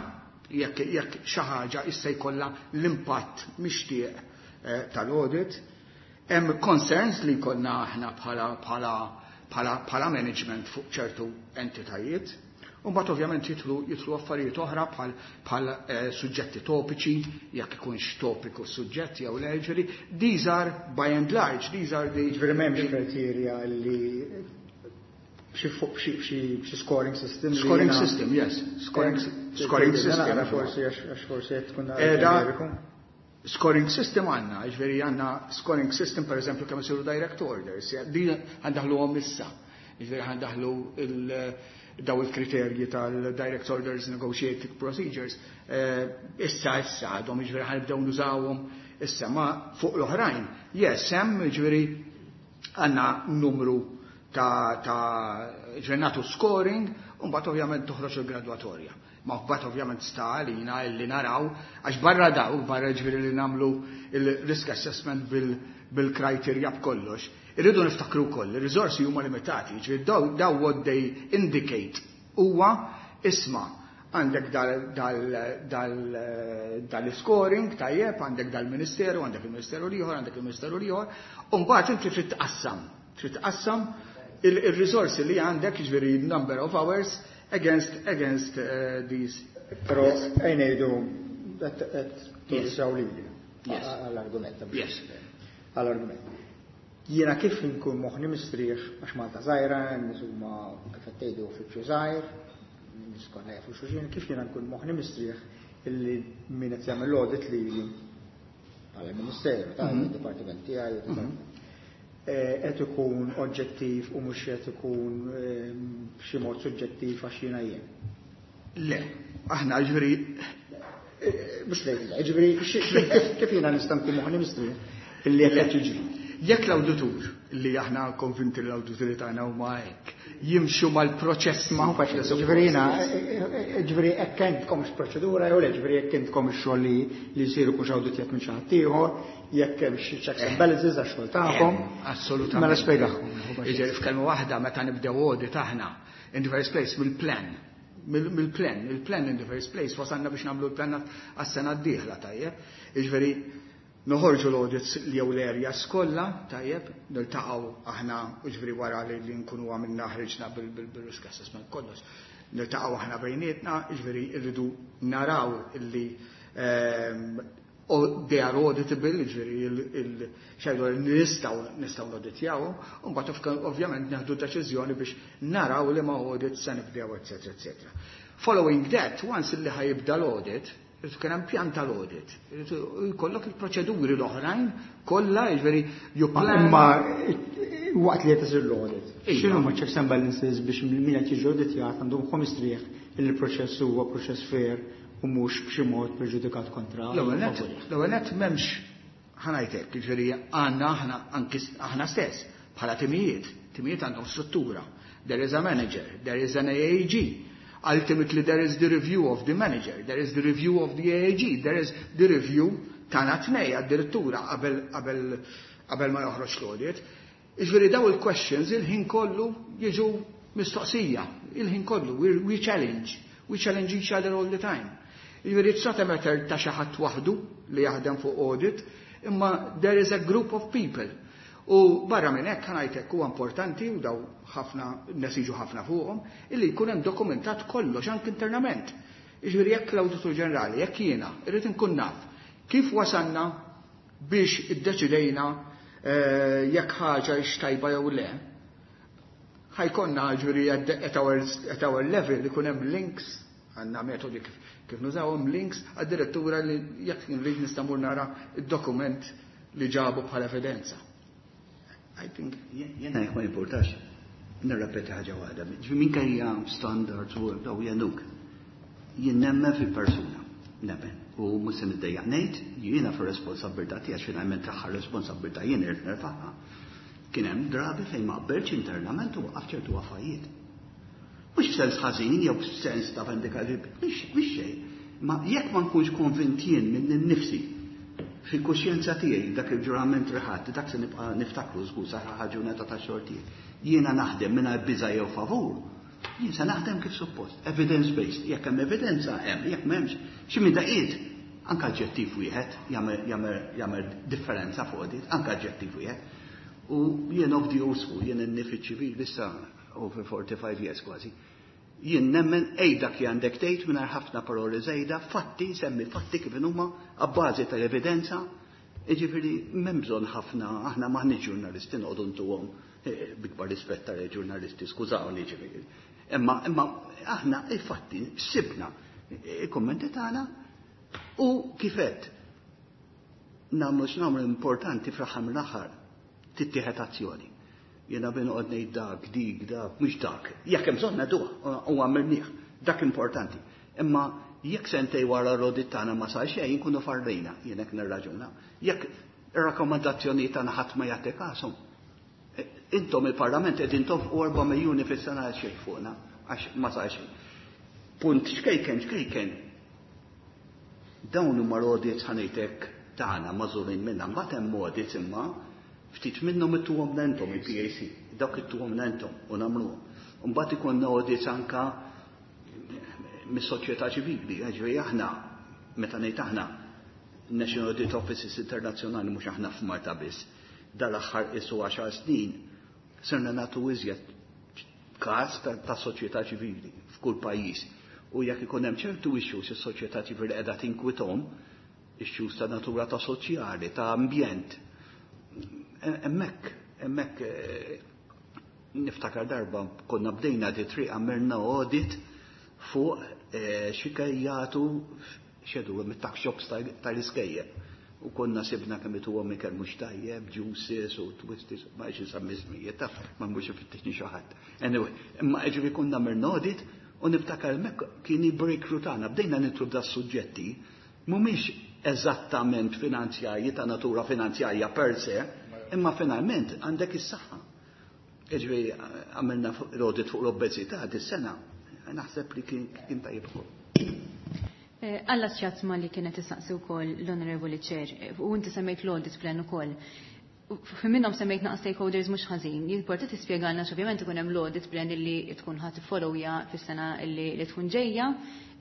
jekk jekk xi ħaġa issa jkollha l-impatt mixtieq tal-audit. Hemm concerns li jkollna aħna bħala bħala bħala bħala management fuq ċertu entitajiet. U mbagħad ovvjament jidħlu jidħlu affarijiet oħra bħal bħal eh, suġġetti topiċi, jekk ikunx topiku suġġett jew le, ġifieri these are by and large, these are the
Ġifieri m'hemmx kriterja li xi fuq xi xi scoring system. li
Scoring
jiena-
system, yes. Scoring, scoring system.
Nara forsi għax għax forsi qed tkun
Eda,
ġeneriku.
Scoring system għandna, ġifieri għandna scoring system, per eżempju, kemm isiru direct orders, ja, din ħa ndaħħluhom issa. Ġifieri ħa ndaħħlu il- daw il-kriterji tal-direct orders negotiated procedures. Eh, issa issa għadhom, ġifieri ħa nibdew nużawhom issa, ma fuq l-oħrajn. Yes, hemm, ġifieri għandna numru ta' ta' ġifieri nagħtu scoring, u mbagħad ovvjament toħroġ il-gradwatorja. Ma mbagħad ovvjament sta għalina illi naraw, għax barra daw, barra ġifieri li nagħmlu il-risk assessment bil- bil-criteria b'kollox, irridu niftakru wkoll, ir-riżorsi huma limitati, ġifieri daw, daw what they indicate huwa, isma', għandek dal-scoring, tajjeb, għandek dal-ministeru, għandek il-ministeru l-ieħor, għandek il-ministeru l-ieħor, u mbagħad inti trid tqassam, trid tqassam il-risorsi li għandek, ġifieri number of hours against against uh, these.
Però ejja ngħidu qed qed tużaw lili
Yes.
għall-argument.
Yes.
Għall-argument. Jiena kif inkun moħħni mistrieħ, għax Malta żgħira, nies huma, kif qed tgħidu, uffiċċju żgħir, nies kollha jafu xulxin, kif jiena nkun moħħni mistrieħ illi min qed jagħmel l-audit lili bħala ministeru, ta' dipartiment tiegħi, eh, qed ikun oġġettiv u mhux qed ikun eh, b'xi mod suġġettiv għax jiena jien?
Le, aħna ġifieri
Mhux lejn, ġifieri xi- kif kif jiena nista' nkun moħħni mistrieħ illi qed jiġri?
Jekk l-awditur, li aħna konvinti li l-awdituri tagħna huma hekk, jimxu mal-proċess.
Ma hu faċli, ġifieri jiena, ġifieri hekk għandkomx proċedura jew le, ġifieri jekk intkom ix-xogħol li li jsiru kux awditjat minn xi ħadd ieħor, jekk hemm xi checks and balances għax-xogħol tagħkom.
Assolutament.
Mela spjegahom.
Jiġifieri f'kelma waħda, meta nibdew audit aħna, in the first place mill-plan. Mill-plan, il-plan in the first place, wasalna biex nagħmlu l-plan għas-sena d-dieħla, tajjeb. Jiġifieri noħorġu l-audits li jew l-areas kollha, tajjeb, niltaqgħu aħna, jiġifieri wara li li nkunu għamilna, ħriġna bil-risk assessment kollox. Niltaqgħu aħna bejnietna, jiġifieri rridu naraw illi ehm, o they are auditable, ġifieri il-xajdu nistgħu nistgħu noditjaw, u mbagħad ovvjament nieħdu deċiżjoni biex naraw li ma audit se nibdew, eċetera, eċetera. Following that, once li ħa jibda l-audit, irid kien hemm pjan tal-audit. Irid jkollok il-proċeduri l-oħrajn kollha, jiġifieri you plan.
Imma waqt li qed isir l-audit,
Iva.
x'inhu ma checks and balances biex min qed jiġi auditjat għandhom moħħu mistrieħ li l-proċess huwa proċess fair u mhux b'xi mod preġudikat kontra?
L-ewwel nett, l-ewwel nett m'hemmx, ħa ngħidlek, jiġifieri għandna aħna anki aħna stess bħala timijiet, timijiet għandhom struttura. There is a manager, there is an A A G. Ultimately there is the review of the manager, there is the review of the A A G, there is the review tagħna tnej addirittura qabel qabel qabel ma joħroġ l-audit. Jiġifieri daw il-questions il-ħin kollu jiġu mistoqsija, il-ħin kollu, we, we challenge, we challenge each other all the time. Jiġifieri it's not a matter ta' xi ħadd waħdu li jaħdem fuq audit, imma there is a group of people. U barra minn hekk, ħa ngħidlek, huwa importanti, u daw ħafna nesiġu ħafna fuqhom, illi jkun hemm dokumentat kollox anke internament. Jiġifieri jekk l-Awditur Ġenerali, jekk jiena irrid inkun naf kif wasalna biex iddeċidejna eh, jekk ħaġa tajba jew le, ħa jkollna, ġifieri, at our, at our level ikun hemm links, għandna metodi kif, kif nużawhom, links għad-direttura li jekk nrid nista' nara id-dokument li ġabu bħala evidenza. I think
Jena, jekk ma importax, nirrepeti ħaġa waħda. Ġifieri minkejja standards u daw jenuk. Jien nemmen fil-persuna, nemmen. U mhux se niddejjaq ngħid, jiena fir-responsabbiltà tiegħi, finalment tagħha responsabbiltà jien irid nerfagħha. Kien hemm drabi fejn ma qbiltx internament u waqaf ċertu affarijiet. Mhux f'sens ħażin jew f'sens ta' vendikali, mhux xejn. Ma jekk ma nkunx konvint jien minn nifsi fil-kuxjenza tiegħi, dak il-ġurament riħat, dak se nibqa' niftakru żgur sa ġurnata ta' xorti. Jiena naħdem mingħajr biża' jew favur. Jien se naħdem kif suppost, evidence based. Jekk hemm evidenza hemm, jekk m'hemmx, xi minn daqiet anke aġġettiv wieħed jagħmel differenza fuq dit, anke aġġettiv wieħed. U jien of the old school, jien in-nifid ċivili issa over forty-five years kważi. Jien nemmen ej dak li għandek tgħid mingħajr ħafna paroli żejda, fatti, semmi fatti kif huma abbażi tal-evidenza. Jiġifieri m'hemm bżonn ħafna, aħna m'aħniex ġurnalisti noqogħdu ntuhom, eh, bikbar rispett tal-ġurnalisti, skużawni ġifieri. Imma imma aħna il-fatti sibna il-kommenti tagħna u kifet nagħmlu x'nagħmlu, importanti fl-aħħar mill-aħħar tittieħed azzjoni. Jena bin noqgħod ngħid dak, dik, dak, mhux dak. Jekk hemm bżonn ngħiduha u għamilnieh, dak importanti. Imma jekk sentej wara l-audit tagħna ma sar xejn, nkunu farrejna, jien hekk nirraġuna. Jekk ir-rakkomandazzjoni tagħna ħadd ma jagħti kashom. E, intom il-Parlament qegħdin tonfqu erba' miljuni fis-sena għal xejn fuqna għax ma sar xejn. Punt xkejken xkejken. Dawn huma l-audits, ħa ngħidlek, tagħna magħżulin minna, mbagħad hemm audits imma ftit minnhom ittuhom intom il-P A C, dawk ittuhom intom u nagħmluhom. Mbagħad ikollna audits anka mis-soċjetà ċivili, ġifieri aħna, meta ngħid aħna, National Audit Offices Internazzjonali, mhux aħna f'Malta biss. Dal-aħħar isu għaxar snin sirna nagħtu iżjed każ ta' soċjetà ċivili f'kull pajjiż. U jekk ikun hemm ċertu issues is-soċjetà ċivili qiegħda tinkwitahom, issues ta' natura ta' soċjali, ta' ambjent, hemmhekk, hemmhekk eh, niftakar darba konna bdejna di triq, għamilna audit fuq eh, xi jagħtu xedu mit-tuck shops tal-iskejjel. U konna sibna kemm ituhom ikel mhux tajjeb, juices u twisties, ma xi nsemmi ismijiet, taf, ma mhux ifittixni xi ħadd. Anyway, imma ġifieri konna għamilna audit u niftakar hemmhekk kien il-breakthrough tagħna, bdejna nidħlu da suġġetti mhumiex eżattament finanzjarji, ta' natura finanzjarja per se, imma finalment għandek is-saħħa. Ġifieri għamilna l-audit fuq l-obeżità dis-sena, naħseb li kien tajjeb ukoll.
Eh, Alla xjatma li kienet tistaqsi wkoll l-Onorevoli Chair, eh, u inti semmejt l-audit plan ukoll. Fi minnhom semmejt naqas stakeholders mhux ħażin. Jimporta tispjegalna, ovvjament ikun hemm l-audit plan illi tkun ħadd tiffollowja fis-sena illi li tkun ġejja,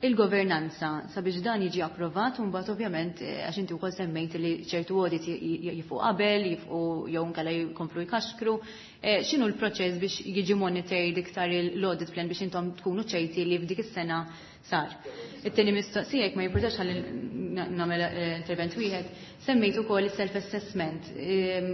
il-governanza sabiex dan jiġi approvat u mbagħad ovvjament, eh, għax inti wkoll semmejt li ċertu audit jieqfu qabel, jieqfu jew inkella jkomplu jkaxkru. Eh, x'inhu l-proċess biex jiġi monitored iktar l-audit plan biex intom tkunu ċerti li f'dik is-sena sar? It-tieni mistoqsija, jekk ma jimportax ħalli nagħmel eh, intervent wieħed, semmejt ukoll is-self-assessment.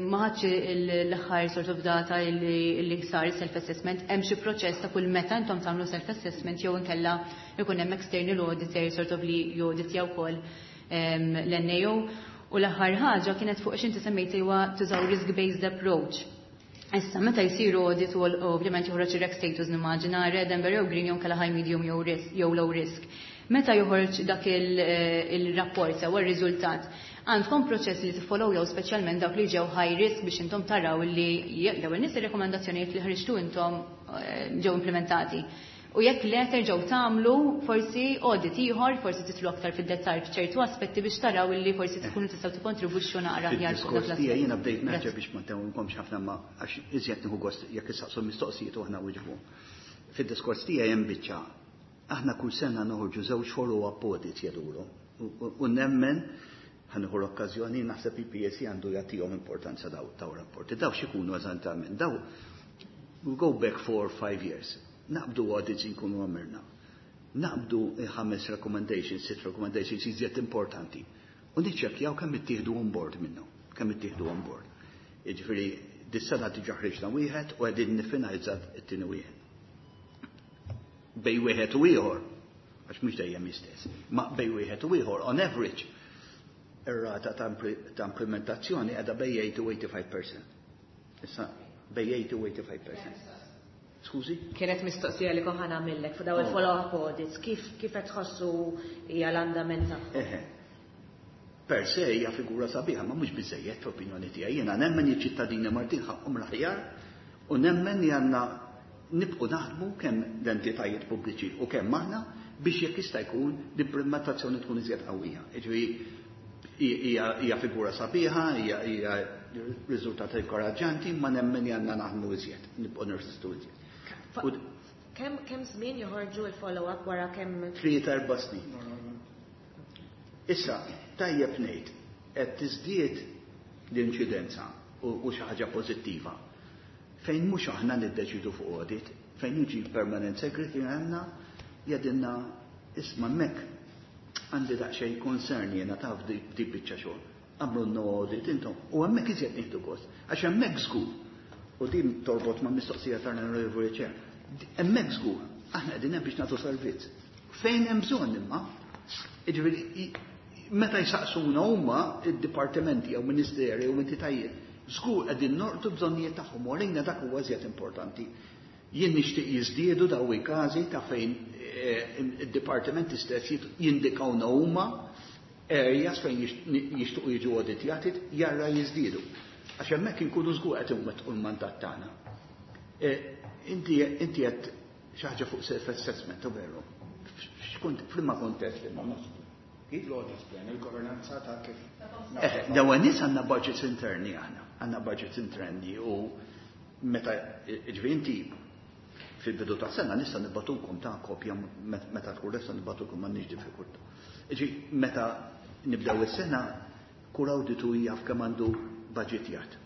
Ma ħadx l-aħħar sort of data li sar is-self-assessment, hemm xi proċess ta' kull meta intom tagħmlu self-assessment jew inkella ikun hemm external auditor sort of li jawditja wkoll l-N A O? U l-aħħar ħaġa kienet fuq x'inti semmejt huwa tużaw risk-based approach. Issa, meta jsiru audit u ovvjament joħroġ ir-REC status, nimmaġina red, amber jew green, jew kella high, medium jew risk jew low risk. Meta joħroġ dak eh, il-rapport sew ir-riżultat, għandkom proċess li tiffollow jew speċjalment dawk li ġew high risk biex intom taraw li l-ewwel nies ir-rekomendazzjonijiet li ħriġtu intom eh, ġew implementati? U jekk le, terġgħu tagħmlu forsi audit ieħor, forsi titlu aktar fid-dettall f'ċertu aspetti biex taraw illi forsi tkunu tistgħu tikkontribwixxu naqra aħjar
fuq dak l-aspett? Jiena bdejt naġġel biex ma ntewwimkomx ħafna, ma għax iżjed nieħu gost jekk issaqsu mistoqsijiet u aħna wiġbu. Fid-diskors tiegħi hemm biċċa Aħna kull sena noħorġu żewġ follow-up audits jgħidulu. U nemmen ħa nieħu l-okkażjoni, naħseb il-P S C għandu jagħtihom importanza daw daw rapporti. Daw x'ikunu eżattament? Daw we go back four or five years. Naqbdu audits inkunu għamilna. Naqbdu ħames recommendations, sitt recommendations iżjed importanti. U niċċekkjaw kemm ittieħdu on board minnu, kemm ittieħdu on board. Jiġifieri dis-sena diġà ħriġna wieħed u qegħdin niffinalizza t-tieni wieħed. Bejn wieħed u ieħor, għax mhux dejjem istess, ma bejn wieħed u ieħor, on average, ir-rata ta' implementazzjoni qiegħda bejn eighty u eighty-five percent. Issa bejn eighty u eighty-five percent. Skużi?
Kienet mistoqsija li kont ħa nagħmillek fuq daw il-follow-up audits, kif kif qed tħossu hija l-andament tagħhom?
Eħe. Per se hija figura sabiħa, ma mhux biżejjed fl-opinjoni tiegħi. Jiena nemmen iċ-ċittadini Maltin ħaqhom l-aħjar u nemmen li għandna nibqu naħdmu kemm l-entitajiet pubbliċi u kemm aħna biex jekk jista' jkun l-implementazzjoni tkun iżjed qawwija. Jiġifieri hija figura sabiħa, hija riżultat inkoraġġanti, ma nemmen li għandna naħdmu iżjed, nibqgħu nirsistu iżjed.
Kemm kemm żmien joħorġu il-follow-up, wara kemm?
Tlieta, erba' snin. Issa, tajjeb ngħid, qed tiżdied l-inċidenza u xi ħaġa pożittiva. Fejn mhux aħna niddeċidu fuq audit, fejn jiġi permanent secretary għandna jgħidilna, "Isma', hemmhekk għandi daqsxejn concern jiena taf di biċċa xogħol. Agħmlulna audit intom." U hemmhekk iżjed nieħdu gost. Għax hemmhekk żgur. U din torbot ma' mistoqsija tal-Onorevoli Chair. Hemmhekk żgur, aħna qegħdin hemm biex nagħtu servizz. Fejn hemm bżonn imma, jiġifieri meta jsaqsuna huma id-dipartimenti jew ministeri jew entitajiet, żgur qegħdin nolqtu bżonnijiet tagħhom u għalina dak huwa iżjed importanti. Jien nixtieq jiżdiedu daw il-każi ta' fejn eh, id-dipartimenti stess jindikawna huma areas fejn jixtuqu jiġu auditjati, jarra jiżdiedu. Għax hemmhekk inkunu żgur qed inwettqu l-mandat tagħna. Eh, inti inti qed xi ħaġa fuq self-assessment, u veru. X'kont f'liema kontest li ma nafx.
L-audit plan, il-governanza ta' kif.
Eh, dawn nies għandna budgets interni aħna, għandna budgets interni u meta ġifieri inti fil-bidu ta' sena nista' nibagħtulkom ta' kopja meta tkun lesta nibagħtulkom, m'għandniex diffikultà. Ġi meta nibdew is-sena kull awditu jaf kemm għandu budgetjat.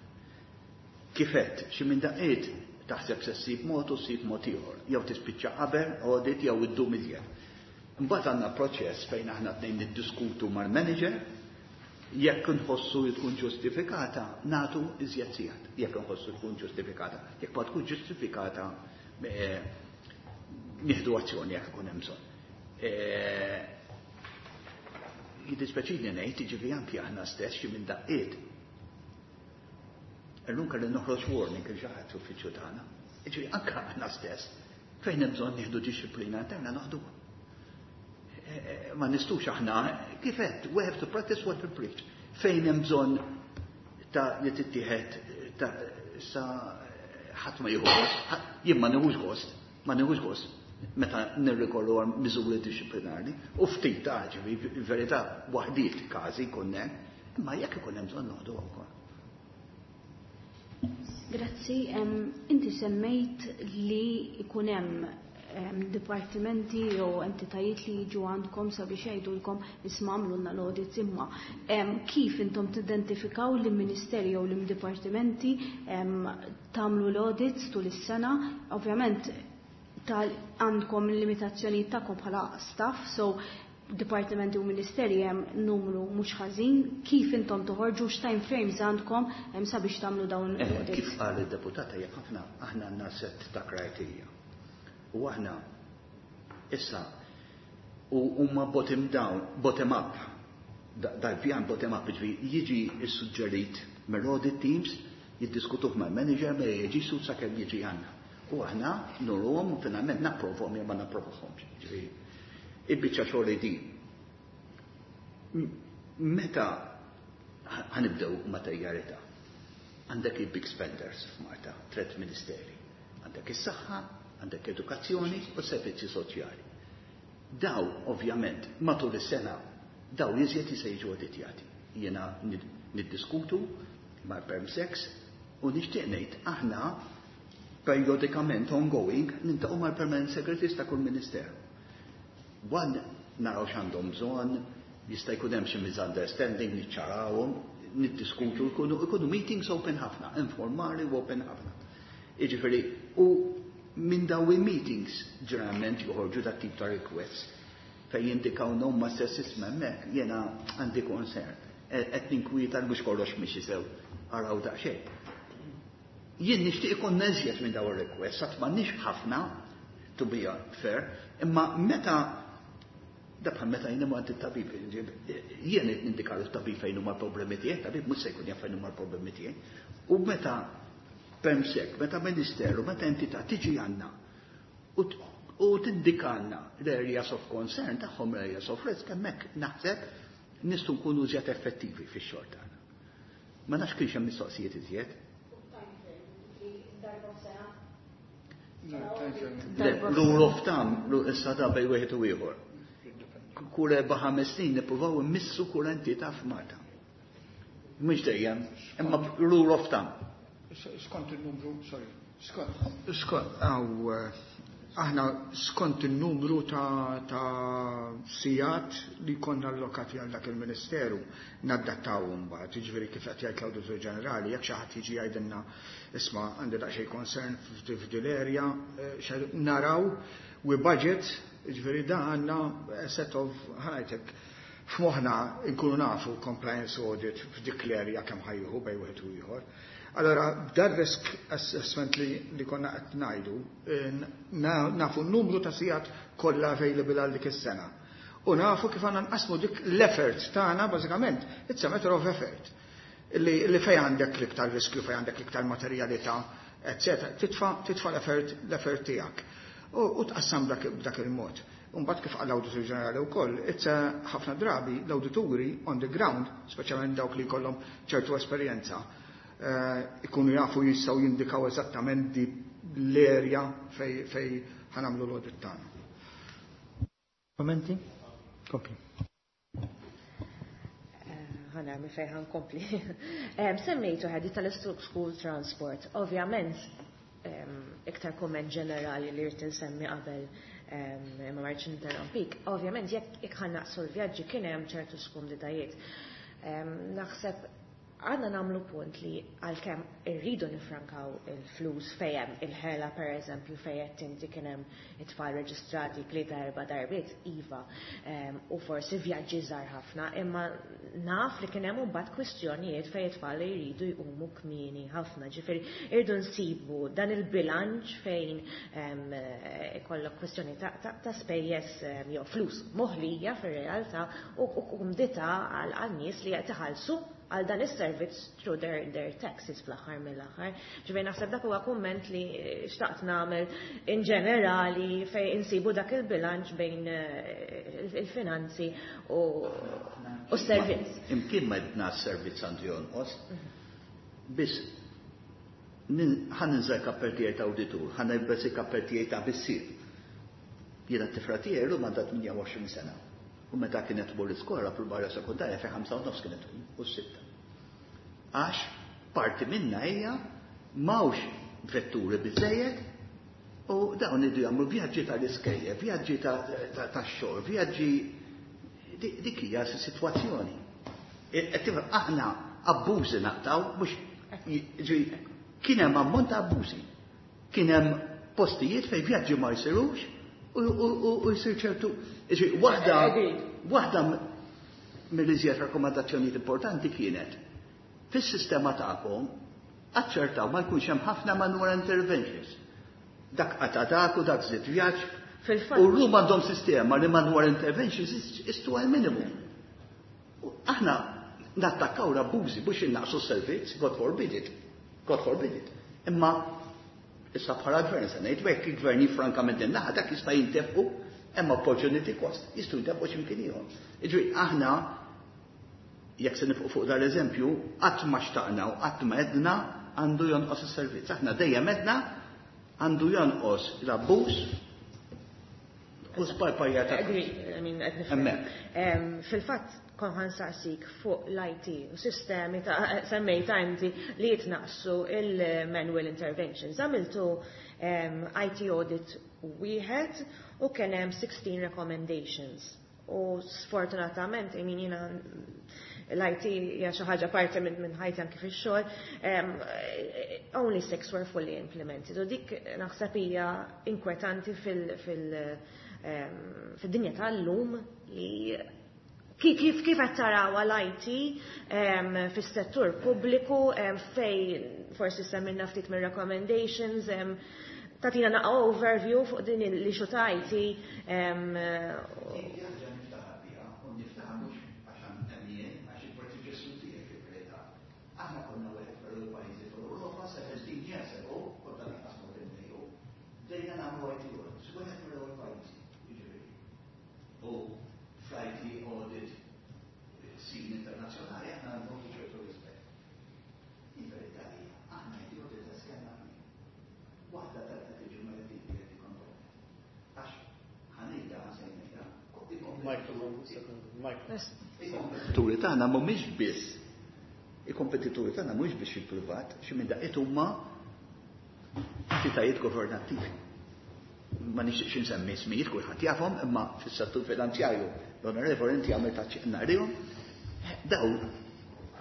Kifet, xi minn daqqiet taħseb se ssib mod u ssib mod ieħor, jew tispiċċa qabel audit jew iddum iżjed. Imbagħad għandna proċess fejn aħna tnejn niddiskutu mal-manager, jekk nħossu li tkun ġustifikata, nagħtu iżjed sigħat. Jekk nħossu tkun ġustifikata. Jekk ma tkun ġustifikata, eh, nieħdu azzjoni jekk ikun hemm bżonn. Eh, jiddispjaċini ngħid, jiġifieri anki aħna stess xi minn daqqiet. Illum kelli noħroġ warning il xi ħadd uffiċċju tagħna. Jiġifieri anke aħna stess fejn hemm bżonn nieħdu dixxiplina interna noħduha. Eh, ma nistgħux aħna, kifet, we have to practice what we preach. Fejn hemm bżonn ta' li tittieħed ta' sa ħadd ma jieħu gost, jien ma nieħux gost, ma nieħux gost meta nirrikorru għal miżuri dixxiplinari u ftit ta' ġifi verità waħdiet każi jkun hemm, imma jekk ikun hemm bżonn noħdu wkoll.
Grazzi, inti semmejt li ikun hemm dipartimenti jew entitajiet li jiġu għandkom sabiex jgħidulkom, "Isma', agħmlulna l-audits," imma kif intom tidentifikaw li ministeri jew li dipartimenti tagħmlu l-audits tul is-sena? Ovvjament tal għandkom limitazzjoni tagħkom bħala staff, so dipartimenti u ministeri hemm numru mhux ħażin, kif intom toħorġu, x'time frames għandkom hemm sabiex tagħmlu dawn
eh,
l-audits?
Kif qal id-deputata, jekk aħna aħna għandna set ta' criteria. U aħna issa u huma bottom down, bottom up. Dal-pjan bottom up ġifi jiġi issuġġerit mill-audit teams, jiddiskutuh mal-manager, ma jiġi su sakemm jiġi għandna. U aħna nuruhom u finalment napprovhom jew ma napprovhomx. Ġifieri il-biċċa xogħol din. Meta ħa nibdew materjalità? Għandek il-big spenders f'Malta, tret ministeri. Għandek is-saħħa, għandek edukazzjoni u servizzi soċjali. Daw, ovvjament, matul is-sena, daw iżjed se jiġu auditjati. Jiena niddiskutu ma' PermSecs u nixtieq ngħid aħna periodikament ongoing niltaqgħu mal-permanent secretaries ta' kull ministeru. One, naraw x'għandhom bżonn, jista' jkun hemm xi misunderstanding, niċċarawhom, niddiskutu, jkunu jkunu meetings open ħafna, informali u open ħafna. Jiġifieri, u minn daw il-meetings ġeneralment joħorġu dat tip ta' requests fejn jindikaw huma stess, "Isma', hemmhekk jiena għandi concern. Qed ninkwieta mhux kollox mixi sew, araw daqsxejn." Jien nixtieq ikun iżjed minn daw ir-requests, għad m'għandniex ħafna, to be fair, imma meta da bħal meta jien għand it-tabib, jien qed nindika lit-tabib fejn huma l-problemi tiegħi, tabib mhux se jkun jaf fejn huma l-problemi tiegħi. U meta perm sec, meta ministeru, meta entità tiġi għandna u t- u tindikalna l-areas of concern tagħhom, l-areas of risk, hemmhekk naħseb nistgħu nkunu iżjed effettivi fix-xogħol tagħna. Ma nafx kienx hemm mistoqsijiet iżjed.
Darba f'sena?
Le, rule of thumb, ru- issa da bejn wieħed u ieħor. Kull erba' ħames snin nippruvaw immissu kull entità f'Malta. Mhux dejjem, imma rule of thumb.
Skont il-numru, sorry, skont, skont, għaw, eh, aħna skont il-numru ta', ta' sigħat li konna allokati għal dak il-Ministeru naddattaw mbagħad, jiġifieri kif qed jgħid l-Awditur Ġenerali, jekk xi ħadd jiġi jgħidilna, "Isma', għandi daqsxejn concern f'din l-area," eh, xa- naraw we budget, jiġifieri da għandna a set of, ħa ngħidlek, f'moħħna nkunu nafu compliance audit f'dik l-area kemm ħa jieħu bejn wieħed u ieħor. Allora, dar risk assessment li, li konna qed ngħidu, eh, na- nafu n-numru ta' sigħat kollha available għal dik is-sena. U nafu kif għandna nqasmu dik l-effort tagħna bażikament, it's a matter of effort. Li, li fej għandek l-iktar riskju, fej għandek l-iktar materjalità, eccetera, titfa, titfa l-effort l-effort tiegħek. U, u tqassam dak, b'dak il-mod. Mbagħad kif qal l-Awditur Ġenerali wkoll, it's a ħafna drabi l-awdituri on the ground, speċjalment dawk li jkollhom ċertu esperjenza, eh, ikunu jafu, jistgħu jindikaw eżattament di l-area fej, fej ħa nagħmlu l-audit tagħna.
Kommenti? Kompli.
Ħa nara minn fejn ħa nkompli. Em, Semmejtu ħadi tal-school transport. Ovvjament, em, iktar komment ġenerali li rrid insemmi qabel em, ma marċ interrompik. Ovvjament, jekk jekk ħa naqsu l-vjaġġi kien hemm ċertu skumditajiet. Em, Naħseb għandna nagħmlu punt li għalkemm irridu nifrankaw il-flus fejn il-ħela, per eżempju, fejn inti kien hemm it-tfal reġistrati tlieta erba' darbiet, iva, em, u forsi vjaġġi żgħar ħafna, imma naf li kien hemm imbagħad kwistjonijiet fejn it-tfal li jridu jqumu kmieni ħafna, ġifieri irridu nsibu dan il-bilanċ fejn em, ikollok kwistjoni ta', ta, ta' spejjeż em, jew flus moħlija fir-realtà u u kumdità għal għal nies li qed iħallsu għal dan is-servizz through their, their taxes fl-aħħar mill-aħħar. Ġifieri naħseb dak huwa kumment li xtaqt nagħmel in ġenerali fejn insibu dak il-bilanċ bejn eh, il-finanzi u u s-servizz.
Imkien ma għedna s-servizz għandu jonqos, biss ħa ninża' l-kappell tiegħi ta' awditur, ħa nilbes il-kappell tiegħi ta' missier. Jiena t-tifla tiegħi llum għandha tmienja u għoxrin sena. U meta kienet tmur l-iskola fil-barra sekundarja fi ħamsa u nofs kienet tqum u sitta. Għax parti minna hija m'hawnx vetturi biżejjed u dawn iridu jagħmlu vjaġġi tal-iskejjel, vjaġġi tax-xogħol, vjaġġi, dik hija sitwazzjoni. Aħna abbużi naqtaw, mhux kien hemm ammont ta' abbużi. Kien hemm postijiet fejn vjaġġi ma jsirux u jsir ċertu. Waħda waħda mill-iżjed rakkomandazzjonijiet importanti kienet fis-sistema tagħkom aċċertaw ma jkunx hemm ħafna manual interventions. Dak qata dak u dak żied vjaġġ. U llum għandhom sistema li manual interventions is to a minimum. Aħna nattakkaw l-abbużi biex innaqsu s-servizz, God forbid it. God forbid it. Imma issa bħala gvern se ngħid hekk, il-gvern jifranka minn din naħa, dak jista' jintefqu, hemm opportunity cost, jistgħu jintefqu x'imkien ieħor. Jiġifieri aħna jekk se nifqu fuq dal-eżempju, qatt ma xtaqna u qatt ma għedna għandu jonqos is-servizz. Aħna dejjem għedna għandu jonqos l-abbuż u sparpajja ta'
Agree, I mean, qed nifhem. Fil-fatt kon ħa nsaqsik fuq l-I T u sistemi ta' semmejta inti li jitnaqsu il-manual interventions. Għamiltu I T audit wieħed U kien hemm sixteen recommendations. U sfortunatament, I mean, jiena l-I T hija xi ħaġa parti minn min ħajti anki fix-xogħol, um, only six were fully implemented. U dik naħseb hija inkwetanti fil, fil, um, fid-dinja tal-lum li kif kif kif qed taraw l-I T um, fis-settur pubbliku um, fej forsi semmilna ftit mir recommendations, um, tagħtina naqra overview fuq din l-issue ta' I T um,
Ħaġa niftaħar biha, u niftaħar mhux għax hemm għax il-predeċessur tiegħek fil-verità. Aħna konna wieħed mill pajjiżi fl-Ewropa seventeen years ago, kont lanqas mod imdejju, bdejna nagħmlu I T audits, wieħed mill-ewwel pajjiżi, jiġifieri. U fl-I T audit scene internazzjonali aħna għandhom ċertu rispett. Il-verità hija, aħna I T audit kellna waħda tal tiġi mal component. Għax ħa ngħidha ħasejnejha. Il-kompetituri tagħna mhumiex biss il-kompetituri tagħna mhumiex biss il-privat, xi minn daqqiet huma entitajiet governattivi. Ma nixtieqx insemmi ismijiet, kulħadd jafhom, imma fis-settur finanzjarju l-onorevoli inti għamilt taċċinarihom. Daw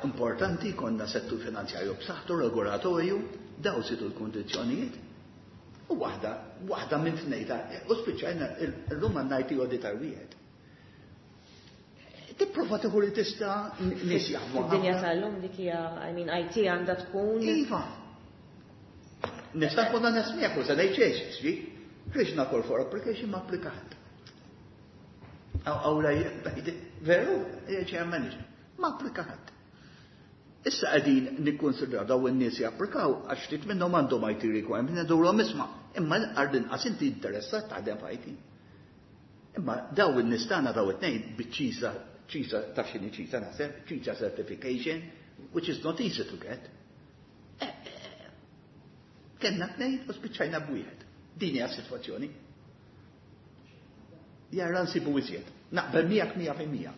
importanti konna settur finanzjarju b'saħħtu regolatorju, daw situ l-kondizzjonijiet. U waħda, waħda minn tnejta, u spiċċajna illum għandna I T auditor wieħed. Tipprova tieħu li tista' nies jaħdmu.
Fid-dinja tal-lum dik hija, I mean, I T għandha tkun.
Iva. Nista' nkun nesmiegħek u se ngħid xejn, xi. Ħriġna call for application, ma applikat. Awla, veru, chair manager, ma applikat. Issa qegħdin nikkonsidraw daw in-nies japplikaw għax ftit minnhom għandhom I T requirement, ngħidulhom isma' imma għall-inqas inti interessat taħdem f'I T. Imma daw in-nies tagħna, daw it-tnejn biċ-CISA, CISA taf x'inhi CISA naħseb, CISA certification, which is not easy to get. Eh, eh, Kellna tnejn u spiċċajna b'wieħed. Din hija s-sitwazzjoni. Jara nsibu iżjed. Naqbel miegħek mija fil-mija.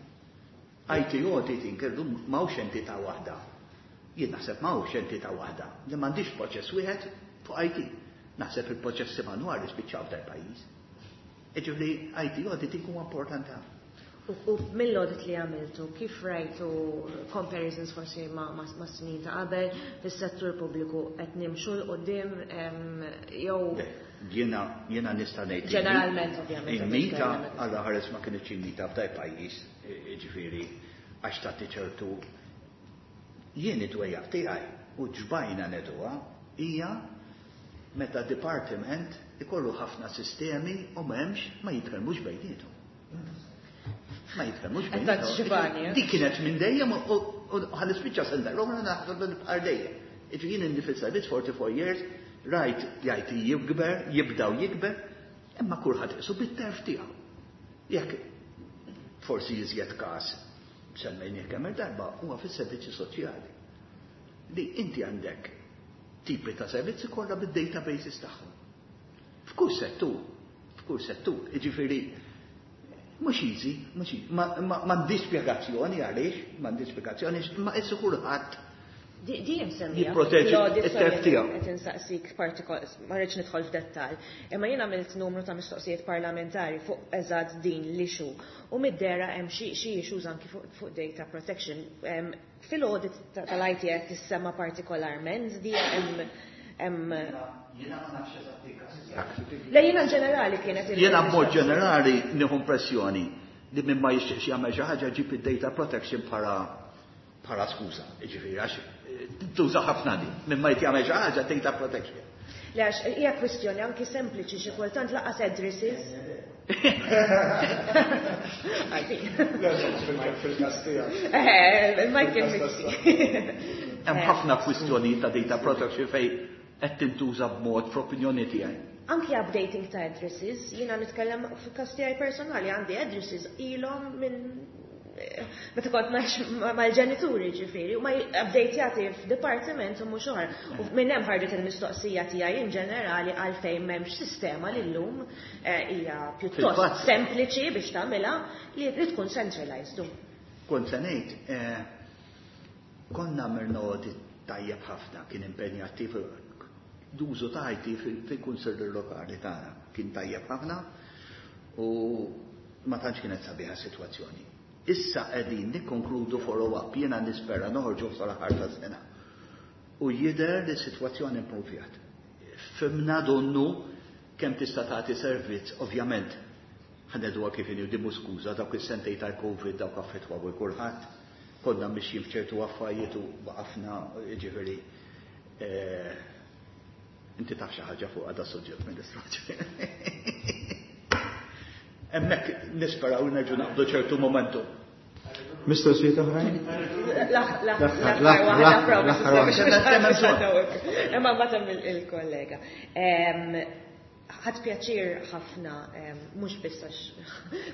I T auditing illum m'hawnx entità waħda. Jien naħseb m'hawnx entità waħda li m'għandix proċess wieħed fuq I T. Naħseb il-proċessi manwali spiċċaw f'dal pajjiż. Jiġifieri I T auditing huwa importanti ħafna.
U, u mill-audit li għamiltu, kif rajtu comparisons forsi ma, ma, ma snin ta' qabel fis-settur pubbliku, qed nimxu 'l quddiem jew
Jiena jiena nista' ngħid
Ġeneralment, ovvjament,
il-mita għalla ħares ma kienx il-mita f'daj pajjiż, ġifieri għax tagħti ċertu jien id-dwejjaq tiegħi u ġbajna neduha hija meta departiment ikollu ħafna sistemi u m'hemmx ma jitkellmux bejniethom. Ma jitkellmux bejniethom.
Ġibani, eh?
Dik kienet minn dejjem u ħa nispiċċa sena l-oħra naħseb li nibqa' dejjem. Jiġifieri jien inni fil-servizz forty-four years, rajt jgħid jikber, jibdaw jikber, imma kulħadd isu bit-terf tiegħu. Jekk forsi jiżjed każ semmejnieh kemm darba huwa fis-servizzi soċjali. Li inti għandek tipi ta' servizzi kollha bid-databases tagħhom. F'kull settur, f'kull settur, jiġifieri mhux easy, mhux easy. M'għandix spjegazzjoni għaliex, m'għandix spjegazzjoni, imma issa kulħadd
Di di msemmija.
jipproteġi
Fl-audit,
it-terf
sorry,
tiegħu.
qed insaqsik partikol, ma rridx nidħol f'dettall. Imma jien għamilt numru ta' mistoqsijiet parlamentari fuq eżatt din l-issue. U mid-dera hemm xi xi issues anki fuq fuq data protection. Em, Fil-audit ta- tal-I T qed tissemma partikolarment di hemm hemm
Jiena ma nafx eżatt il-każ.
Le, jiena ġenerali kienet il-
Jiena b'mod ġenerali nieħu impressjoni li minn ma jixtieqx jagħmel xi ħaġa ġib id-data protection bħala bħala skuża. Jiġifieri għax eh, tuża ħafna di. Minn ma jagħmel xi ħaġa, data protection.
Le, għax hija kwistjoni anki sempliċi, xi kultant lanqas addresses.
Fil-każ tiegħek.
Eh, Michael Mizzi.
Hemm ħafna kwistjonijiet ta' data protection fej qed tintuża b'mod fl-opinjoni tiegħi.
Anki updating ta' addresses, jiena nitkellem fil-każ tiegħi personali, għandi addresses ilhom minn eh, meta kont ngħix mal-ġenituri ġifieri, u ma updatejati f'departiment u mhux oħra. U minn hemm ħarġet il-mistoqsija tiegħi in ġenerali għalfejn m'hemmx sistema li llum eh, hija pjuttost
Fil-fatt-
sempliċi biex tagħmilha li li tkun centralized.
Kont se ngħid, eh, konna għamilna audit tajjeb ħafna, kien impenjattiv l-użu ta' I T fil-kunsilli lokali tagħna, kien tajjeb ħafna. U ma tantx kienet sabiħa sitwazzjoni. Issa qegħdin nikkonkludu follow-up, jiena nispera noħorġu sal-aħħar tas-sena. U jidher li s-sitwazzjoni improvjat. Fhimna donnu kemm tista' tagħti servizz, ovvjament, ħa ngħiduha kif inhi, di skuża, dawk is-sentejn tal-Covid dawk affettwaw kulħadd, konna mixjin f'ċertu affarijiet u waqafna, ġifieri eh, inti taf xi ħaġa fuq għada suġġett, Ministru. Hemmhekk nisperaw nerġgħu naqbdu ċertu momentum.
Mistoqsijiet oħrajn?
L-aħħar waħda. Imma mbagħad hemm il-kollega. Ħadt pjaċir ħafna, mhux biss għax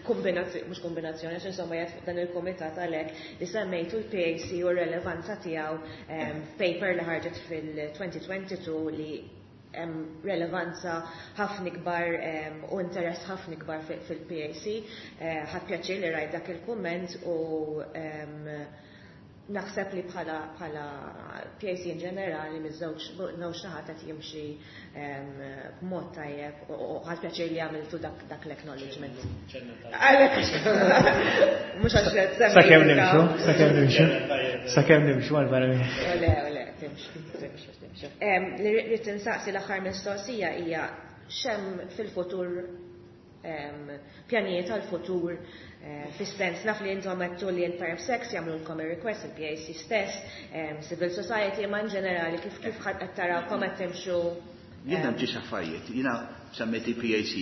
kombinazzjoni, mhux kombinazzjoni, għax insomma jgħid dan il-komitat għalhekk li semmejtu l-P A C u r-relevanza tiegħu, paper li ħarġet fil-elfejn u tnejn u għoxrin li hemm relevanza ħafna ikbar u interess ħafna ikbar fil-P A C. Eh, ħadt pjaċir li rajt dak il-kumment u naħseb li bħala bħala P A C in ġenerali miż-żewġ żewġ naħat qed jimxi b'mod tajjeb u ħadt pjaċir li għamiltu dak dak l-acknowledgement. Għalhekk mhux għax qed semmi
Sakemm nimxu, sakemm nimxu. Sakemm nimxu għal barra minn.
Le, le, timxu, timxu, timxu. Em, Li rrid insaqsi l-aħħar mistoqsija hija x'hemm fil-futur, em, pjanijiet għal-futur, eh, fis-sens naf li intom għedtu li l-PermSec jagħmlulkom ir-request, il-P A C stess, em, civil society, ma in ġenerali kif kif ħadd qed tarawkom qed timxu?
Jiena ġiex affarijiet, jiena semmejti P A C.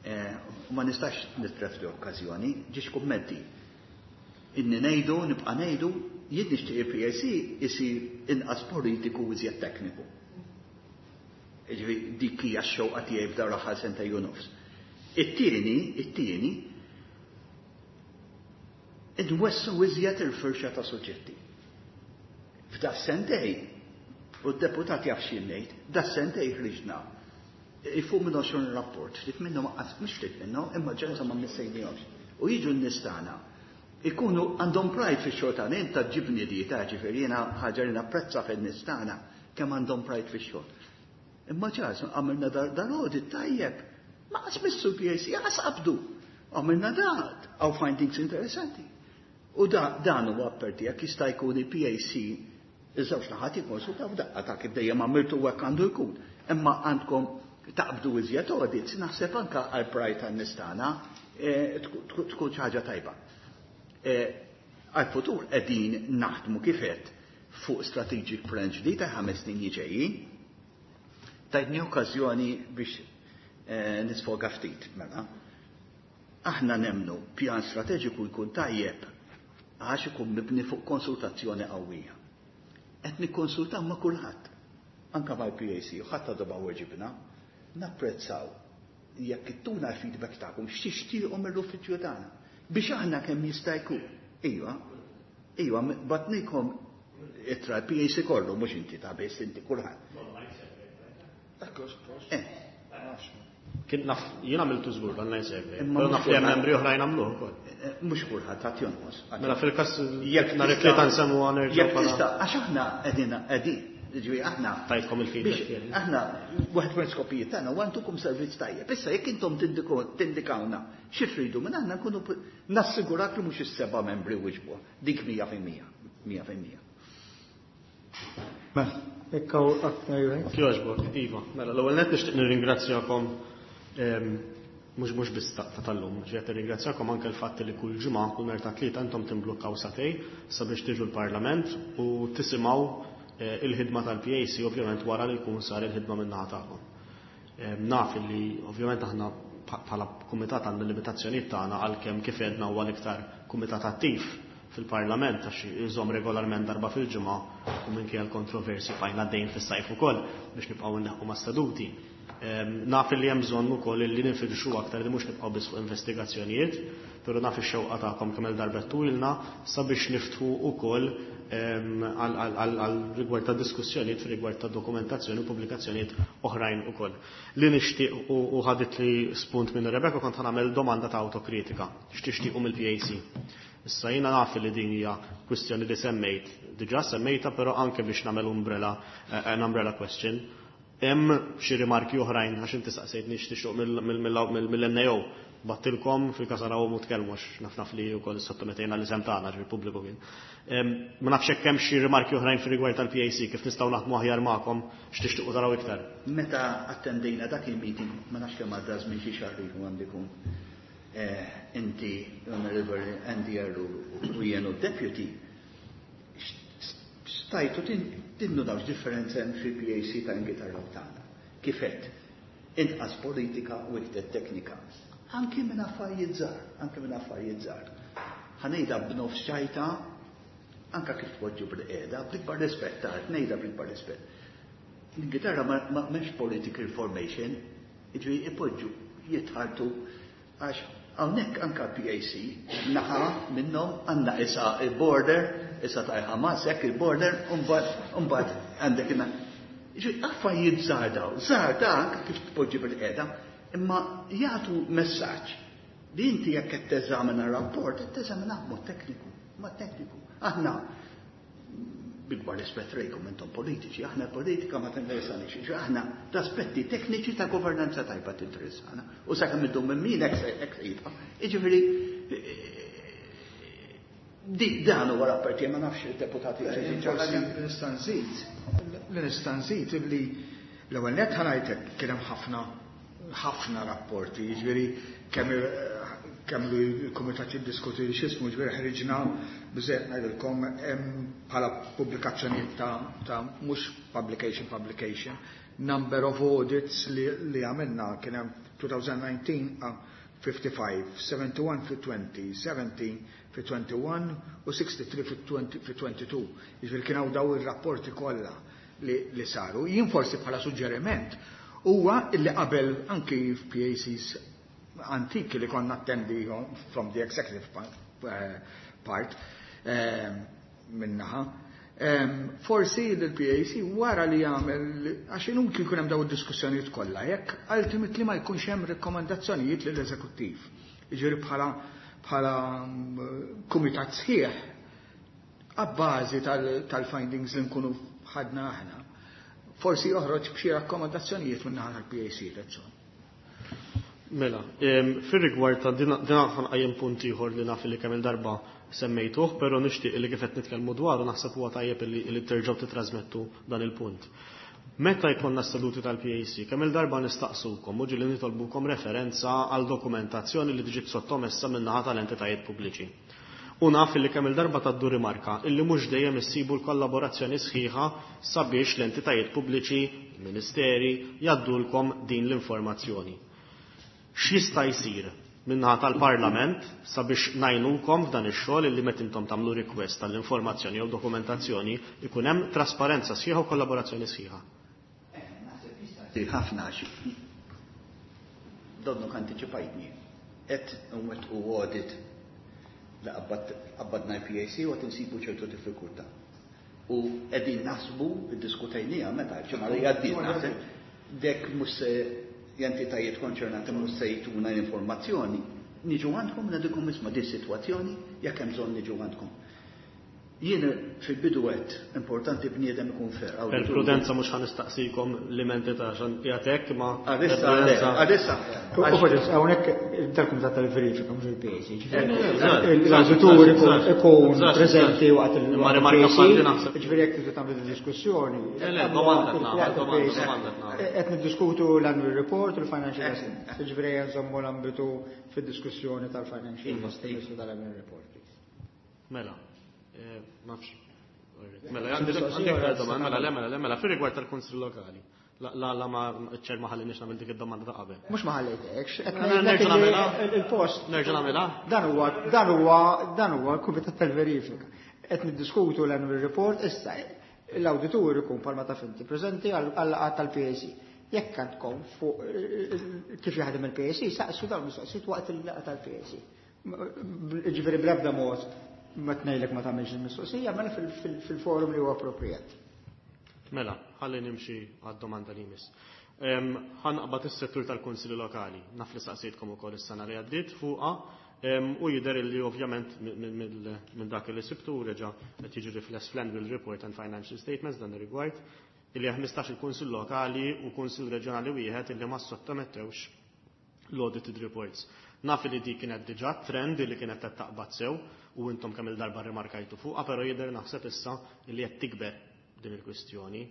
Eh, U ma nistax nitlef di okkażjoni, ġiex kummenti. Inni ngħidu, nibqa' ngħidu, jien nixtieq il-P A C isir inqas politiku u iżjed tekniku. Ġifieri dik hija x-xewqa tiegħi f'dawn l-aħħar sentejn u nofs. It-tieni, it-tieni, inwessgħu iżjed il-firxa ta' suġġetti. F'da sentejn, u d-deputat jaf x'jien ngħid, da sentejn ħriġna fuq minn għoxrin rapport, ftit minnhom mhux ftit minnhom, imma ġenza ma missejnihomx. U jiġu n-nies tagħna ikunu għandhom pride fix-xogħol tagħna, inta ġibni di ta' ġifieri jiena ħaġa li napprezza fin-nies tagħna kemm għandhom pride fix-xogħol. Imma ċas, għamilna dal-audit tajjeb, ma qasmissu l-P A C, għas qabdu. Għamilna dat, għaw findings interessanti. U da, dan huwa apparti jekk jista' jkun il-P A C iż-żewġ naħat jikkonsultaw daqqa ta' kif dejjem għamiltu hekk għandu jkun. Imma għandkom taqbdu iżjed audits, naħseb anka għal pride tan-nies tagħna eh, tkun xi ħaġa tajba. Eh, għal-futur qegħdin naħdmu kifet fuq strategic plan ġdid ta' ħames snin ġejjin. Tajtni okkażjoni biex eh, nisfoga ftit, mela. Aħna nemnu pjan strateġiku jkun tajjeb għax ikun mibni fuq konsultazzjoni qawwija. Qed nikkonsultaw ma' kulħadd, anka mal-P A C, u ħadd għadu ma weġibna, napprezzaw jekk ittuna l-feedback tagħkom x'tixtiequ mill-uffiċċju tagħna. Biex aħna kemm jista' jkun. Iva, iva, bgħatnielkom ittra l-P A C kollu, mhux inti ta' biss, inti kulħadd. Eh,
Kien naf, jien għamiltu żgur online survey,
Imma
però
mhux
naf li hemm
kulħadd.
membri oħrajn għamluh ukoll.
Eh, mhux kulħadd għad jonqos.
Mela fil-każ
Jekk
nhar
tista'
it-tlieta nsemmu nerġgħu
Jekk
bħala
tista', għax aħna qegħdin qegħdin, ġifieri aħna
tajtkom il-feedback
biex
tiegħi.
aħna waħed minn skopijiet tagħna huwa ntukom servizz tajjeb. Issa jekk intom tindiko- tindikawna xi tridu minn aħna nkunu p- nassigurak li mhux is-seba' membri wiġbu. Dik mija fil-mija. Mija fil-mija.
Mela, jekk hawn aktar jgħid.
Kjoġbok, iva. Mela, l-ewwel net nixtieq nirringrazzjakom em, mhux mhux biss ta' ta' tal-lum, ġiet nirringrazzjakom anke l-fatt li kull ġimgħa, kull nhar ta' Tlieta, intom timblukkaw sagħtejn sabiex tiġu l-Parlament u tisimgħu eh, il-ħidma tal-P A C, ovvjament wara li jkun sar il-ħidma min-naħa tagħkom. Em, Naf li ovvjament aħna bħala kumitat għandna limitazzjonijiet tagħna, għalkemm kif għedna huwa l-iktar kumitat attiv fil-Parlament għax iżomm regolarment darba fil-ġimgħa u minkejja l-kontroversi bqajna għaddejjin fis-sajf ukoll biex nibqgħu nneħħu ma' seduti. Em, Naf li hemm bżonn ukoll li nifirxu aktar, li mhux nibqgħu biss fuq investigazzjonijiet, però naf ix-xewqa tagħkom kemm il-darba tulna sabiex niftħu ukoll em, għal għal- għal rigward ta' diskussjonijiet rigward ta' dokumentazzjoni u pubblikazzjonijiet oħrajn ukoll. Li nixtieq u u ħadet li spunt minn Rebecca, kont nagħmel domanda ta' autokritika. X'tixtiequ mill-P A C? Issa jiena naf li din hija kwistjoni li semmejt, diġà semmejta, però anke biex nagħmel umbrella eh, an umbrella question. Hemm xi rimarki oħrajn għax inti saqsejtni x'tixtieq mill-N A O. Bgħattilkom fil-każ arawhom u tkellmu, għax naf naf li wkoll sottomettejna l-isem tagħna, ġifieri pubbliku kien. Ma nafx hekk hemm xi rimarki oħrajn fir-rigward tal-P A C, kif nistgħu naħdmu aħjar magħkom, x'tixtiequ taraw iktar.
Meta attendejna dak il-meeting, ma nafx kemm għadda żmien, xi xahar ilu għandu jkun. Inti, Honorable Andy Arru, u jien u deputy, stajtu tindunaw differenza hemm fil-P A C ta' Ingilterra u tagħna. Kif għedt, inqas politika u iktar teknika. Anki minn affarijiet żgħar, anki minn affarijiet żgħar. Ħa ngħidha b'nofs ċajta, anka kif tpoġġu bil-qiegħda, bl-ikbar rispett, tard, ngħidha bl-ikbar rispett. L-Ingilterra ma m'hemmx political formation, jiġifieri ipoġġu jitħartu, għax hawnhekk anka P A C naħa minnhom għandna issa il-border, issa ta' Hamas hekk il-border, u mbagħad għandek inna. Jiġifieri affarijiet żgħar daw, żgħar ta' anke kif tpoġġi bil-qiegħda, imma jagħtu messaġġ li inti jekk qed teżamina rapport, qed teżamina mod tekniku, mod tekniku. Aħna bl-ikbar rispett lejkom, intom politiċi, aħna politika ma tinteressanix, aħna l-aspetti tekniċi ta' governanza tajba tinteressana. U sa' kemm idum minn min hekk se jibqa'. Jiġifieri di dan huwa rapporti, ma nafx il-deputati.
Nista' nżid, li nista' nżid li l-ewwel nett ħa ngħidlek kien hemm ħafna ħafna rapporti, jiġifieri kemm kemm il-kumitat jiddiskuti x'ismu, ġifieri ħriġna biżejjed ngħidilkom hemm bħala pubblikazzjonijiet ta' ta' mhux publication publication, number of audits li, li għamilna kien hemm twenty nineteen uh, fifty-five, seventy-one fi twenty, seventeen fi twenty-one u sixty-three fi twenty, fi twenty-two. Jiġifieri kien hawn daw ir-rapporti kollha li, li saru. Jien forsi bħala suġġeriment huwa illi qabel anki f'P A Cs antiki li konna attendi from the executive part, uh, part um, minnaħa, um, forsi l-P A C wara li jagħmel, għax inutli jkun hemm daw id-diskussjonijiet kollha jekk ultimately ma jkunx hemm rakkomandazzjonijiet lill-eżekuttiv. Jiġifieri bħala bħala kumitat sħiħ abbażi tal-findings li nkunu ħadna aħna, forsi joħroġ b'xi rakkomandazzjonijiet minn naħa tal-P A C, that's all.
Mela, fir-rigward ta' din ħa nqajjem punt ieħor li naf li kemm il-darba semmejtuh, però nixtieq li kif qed nitkellmu dwaru naħseb huwa tajjeb li terġgħu titrasmettu dan il-punt. Meta jkollna seduti tal-P A C, kemm il-darba nistaqsukom u ġieli nitolbukom referenza għal dokumentazzjoni li tiġi sottomessa min-naħa tal-entitajiet pubbliċi. U naf li kemm il-darba taddu rimarka illi mhux dejjem issibu l-kollaborazzjoni sħiħa sabiex l-entitajiet pubbliċi, ministeri, jgħaddulkom din l-informazzjoni. X'jista' jsir min-naħa tal-Parlament sabiex ngħinukom f'dan ix-xogħol illi meta intom tagħmlu request tal-informazzjoni jew dokumentazzjoni ikun hemm trasparenza sħiħa u kollaborazzjoni sħiħa?
Ħafna għax donnu antiċipajtni. Et u audit li qabbadna P A C u qed insibu ċertu diffikultà. U qegħdin naħsbu, iddiskutejnieha meta ġimgħa li għaddiet naħseb, dek mhux se l-entitajiet konċernati mhux se jtuna l-informazzjoni, niġu għandkom ngħidilkom, isma' di sitwazzjoni, jekk hemm bżonn niġu għandkom. Jien fil-bidu għedt importanti bniedem ikun fair.
Per prudenza mhux ħa nistaqsikom l-entità ta' xan jagħtek ma
Għadissa, għadissa.
U forsi hawnhekk tal-Kumitat tal-Verifika mhux il-P A C. L-awditur ikun preżenti waqt il
Ma rimarka bħal din naħseb.
Ġifieri jekk tridu tagħmlu diskussjoni.
Le, domanda nagħmel, domanda, domanda nagħmel.
Qed niddiskutu l-annual report u l-financial statements. Ġifieri nżommu l-ambitu fid-diskussjoni tal-financial statements u tal-annual report.
Mela, eh, nafx. Mela, għandek għandek domanda, mela, le, mela, le, mela, fir-rigward tal-Kunsill Lokali. La, la, la ma ċer ma ħallinix nagħmel dik id-domanda ta' qabel.
Mhux ma ħallejtekx, qed
Nerġa'
ngħidlek li
nagħmilha?
il-post.
Nerġa' nagħmilha?
Dan huwa dan huwa dan huwa l-Kumitat tal-Verifika. Qed niddiskutu l-annual report issa, l-awditur ikun palma ta' finti preżenti għal tal-P A C. Jekk għandkom fuq kif jaħdem il-P A C, saqsu dawn mistoqsijiet waqt il-laqgħa tal-P A C. Ġifieri bl-ebda mod ma tnejlek ma tagħmilx il-mistoqsija, mela fil-forum li huwa appropriat.
Mela, ħalli nimxi għad-domanda li jmiss. Ħa naqbad is-settur tal-Kunsilli Lokali. Naf li saqsejtkom ukoll is-sena li għaddiet fuqha u jidher li ovvjament minn dak li sibtu reġa' qed jiġi rifless fl-annual report and financial statements dan ir-rigward. Illi ħmistax il-Kunsill Lokali u Kunsill Reġjonali wieħed illi ma sottomettewx l-audited reports. Naf li di kienet diġà trend li kienet qed taqbad sew u intom kemm il-darba rimarkajtu fuqha, però jidher naħseb issa li qed tikber din il-kwistjoni.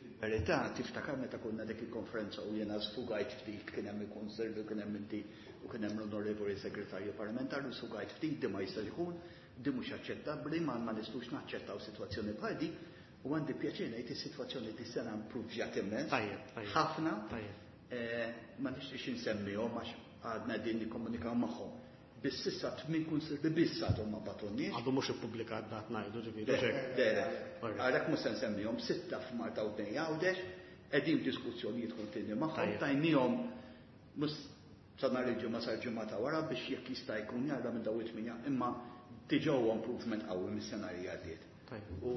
Fil-verità, tiftakar meta konna dik il-konferenza u jiena sfugajt ftit, kien hemm il-Kunsill u kien hemm inti u kien hemm l-Onorevoli Segretarju Parlamentari, u sfugajt ftit di ma jistax ikun, di mhux aċċettabbli, ma ma nistgħux naċċettaw sitwazzjoni bħal di, u għandi pjaċir ngħid is-sitwazzjoni di sena impruvjat immens.
Tajjeb, tajjeb.
Ħafna.
Tajjeb.
Eh, ma nixtiex insemmihom għax għadna din nikkomunikaw magħhom. Biss issa tmien kunsilli biss għadhom ma bagħtulniex.
Għadu mhux ippubblikat dat ngħidu ġifieri.
Le, le, le. Għalhekk mhux se nsemmihom, sitta f'Malta u tnejn Għawdex, qegħdin f'diskussjonijiet kontinwi magħhom,
Tajjeb.
tajnihom mhux sa nhar il-ġimgħa sar ġimgħa ta' wara biex jekk jista' jkun jara minn dawn it-tminja, imma diġà huwa improvement qawwi mis-sena li għaddiet.
Tajjeb.
U,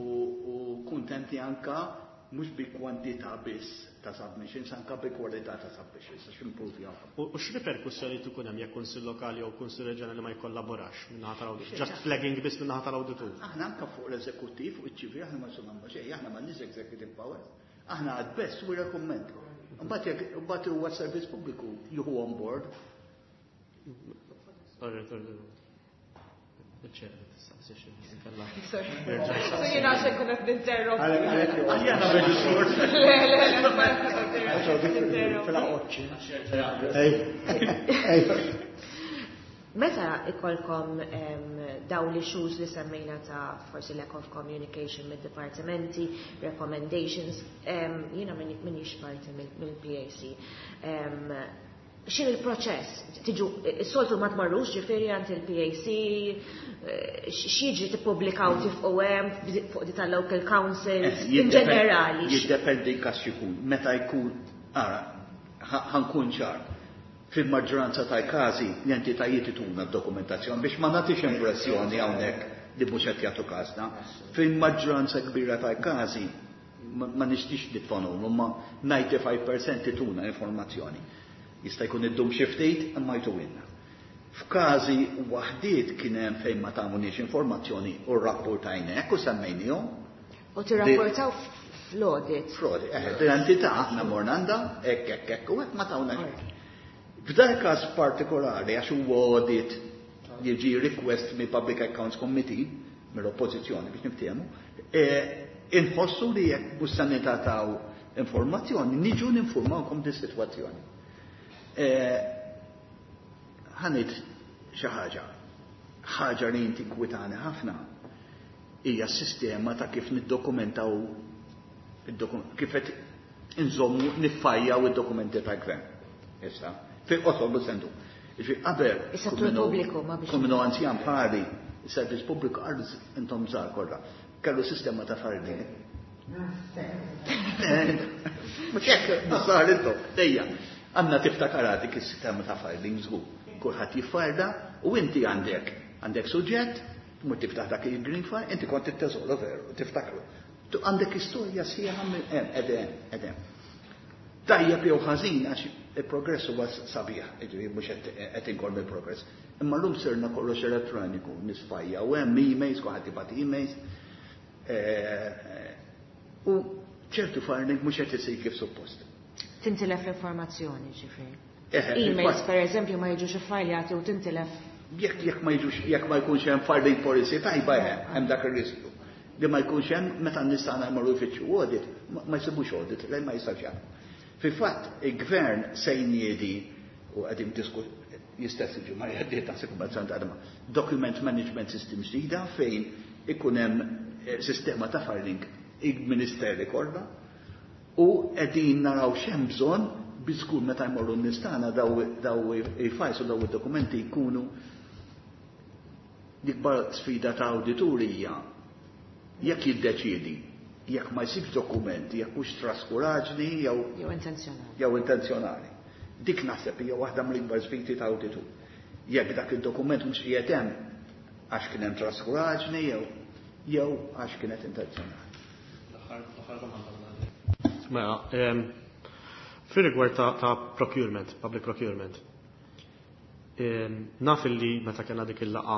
u kuntenti anka mhux bi kwantità biss ta' submissions, anka bi kwalità ta' submissions, għax improvjaw.
U u x'riperkussjoni tkun hemm jekk kunsill lokali jew kunsill reġjonali ma jkollaborax min-naħa tal-awditur? Just flagging biss min-naħa tal-awditur.
Aħna anka fuq l-eżekuttiv, fuq iċ-ċivil, aħna ma nagħmlu xejn, aħna m'għandniex executive powers. Aħna at best we recommend. Mbagħad jekk mbagħad huwa servizz pubbliku jieħu on board.
Sorry, sorry. Il-ċer, tistaqsi xi inkella.
Sorry. So jiena għax nkun qed ninterrompi.
Għalek, għalek,
Aħjana reġisur.
Le, le, le, ma ninterrompi.
Fil-aqoċċi. Ej, ej.
Meta ikolkom em, daw l-issues li semmejna ta' forsi lack of communication mid-dipartimenti, recommendations, em, jiena minix parti mill-P A C. Em, X'inhu il-proċess? Tiġu, s-soltu ma tmarrux ġifieri għand il-P A C, eh, x'jiġri, tippubblikaw tifqu hemm fuq di tal-local councils, in ġenerali?
Jiddependi kas jkun. Meta jkun, ara, ħa nkun ċar. Fil-maġġoranza tal-każi l-entitajiet ituna d-dokumentazzjoni biex ma nagħtix impressjoni hawnhekk li mhux qed jagħtu każna. Fil-maġġoranza kbira tal-każi ma ma nixtiex nitfanhom, imma disgħin fil-mija ituna informazzjoni. Jista' jkun iddum xi ftit imma jtuwilna. F'każi waħdiet kien hemm fejn ma tawniex informazzjoni u rrapportajna u semmejnihom.
U tirrapportaw fl-audit.
Frodi, eh, l-entità aħna morna għandha, hekk, hekk, hekk, u hekk ma tawna xejn. F'dak każ partikolari, għax huwa audit li ġi request mi Public Accounts Committee, mill-oppożizzjoni biex niftehmu, eh, inħossu li jekk mhux se nitataw informazzjoni, niġu ninformawkom di sitwazzjoni. Eh, Ħa ngħid xi ħaġa, ħaġa li tinkwetani ħafna hija s-sistema ta' kif niddokumentaw id-dokum- kif qed inżommu niffajjaw id-dokumenti tal-gvern. Issa, fil-qosor bu sendu. Ġifieri qabel
Is-settur
kun minnu-
pubbliku, ma biex-
kun minnu anzjan bħali, is-servizz pubbliku għal intom żgħar kollha. Kellu sistema ta' filing. Mhux hekk, sar intom, dejja. Għandna tiftakar dik is-sistema ta' filing żgur. Kulħadd jiffarda u inti għandek għandek suġġett, tmur tiftaħ dak il-green file, inti kont it-teżoro veru, tiftakru. Tu għandek istorja sħiħa minn hemm, edem, edem. Tajjeb jew ħażin, għax il-progress huwa sabiħ, jiġifieri mhux qed qed inkorm il-progress. Imma llum sirna kollox elettroniku, nisfajja u hemm emails, kulħadd jibgħat emails. Eh, U ċertu filing mhux qed isir kif suppost.
Tintilef l-informazzjoni ġifieri.
Eħe,
Emails
fil-fatt-
per eżempju ma jiġux iffajljati u tintilef.
Jekk jekk ma jiġux, jekk ma jkunx hemm filing policy tajba, hemm hemm dak ir-riskju. Li ma jkunx hemm meta nistgħu nagħmlu jfittxu audit, ma ma jsibux audit, lejn ma jistax jagħmlu. Fil-fatt il-gvern se jniedi u qegħdin disku jistess il-ġimgħa li għaddiet taħseb kummerċant għadma document management system ġdida fejn ikun hemm eh, sistema ta' filing il-ministeri kollha u qegħdin naraw x'hemm bżonn biex żgur meta jmorru n-nies tagħna daw daw il-files u daw id-dokumenti jkunu. L-ikbar sfida ta' awdituri hija jekk jiddeċiedi jekk ma jsibx dokumenti, jekk hux traskuraġni jew
Jew intenzjonali.
Jew intenzjonali. Dik naħseb hija waħda mill-ikbar sfidi ta' awditur. Jekk dak id-dokument mhux qiegħed hemm għax kien hemm traskuraġni jew jew għax kienet intenzjonali.
L-aħħar domanda. Mela, em, fir-rigward ta' ta' procurement, public procurement. Naf li meta kellna dik il-laqgħa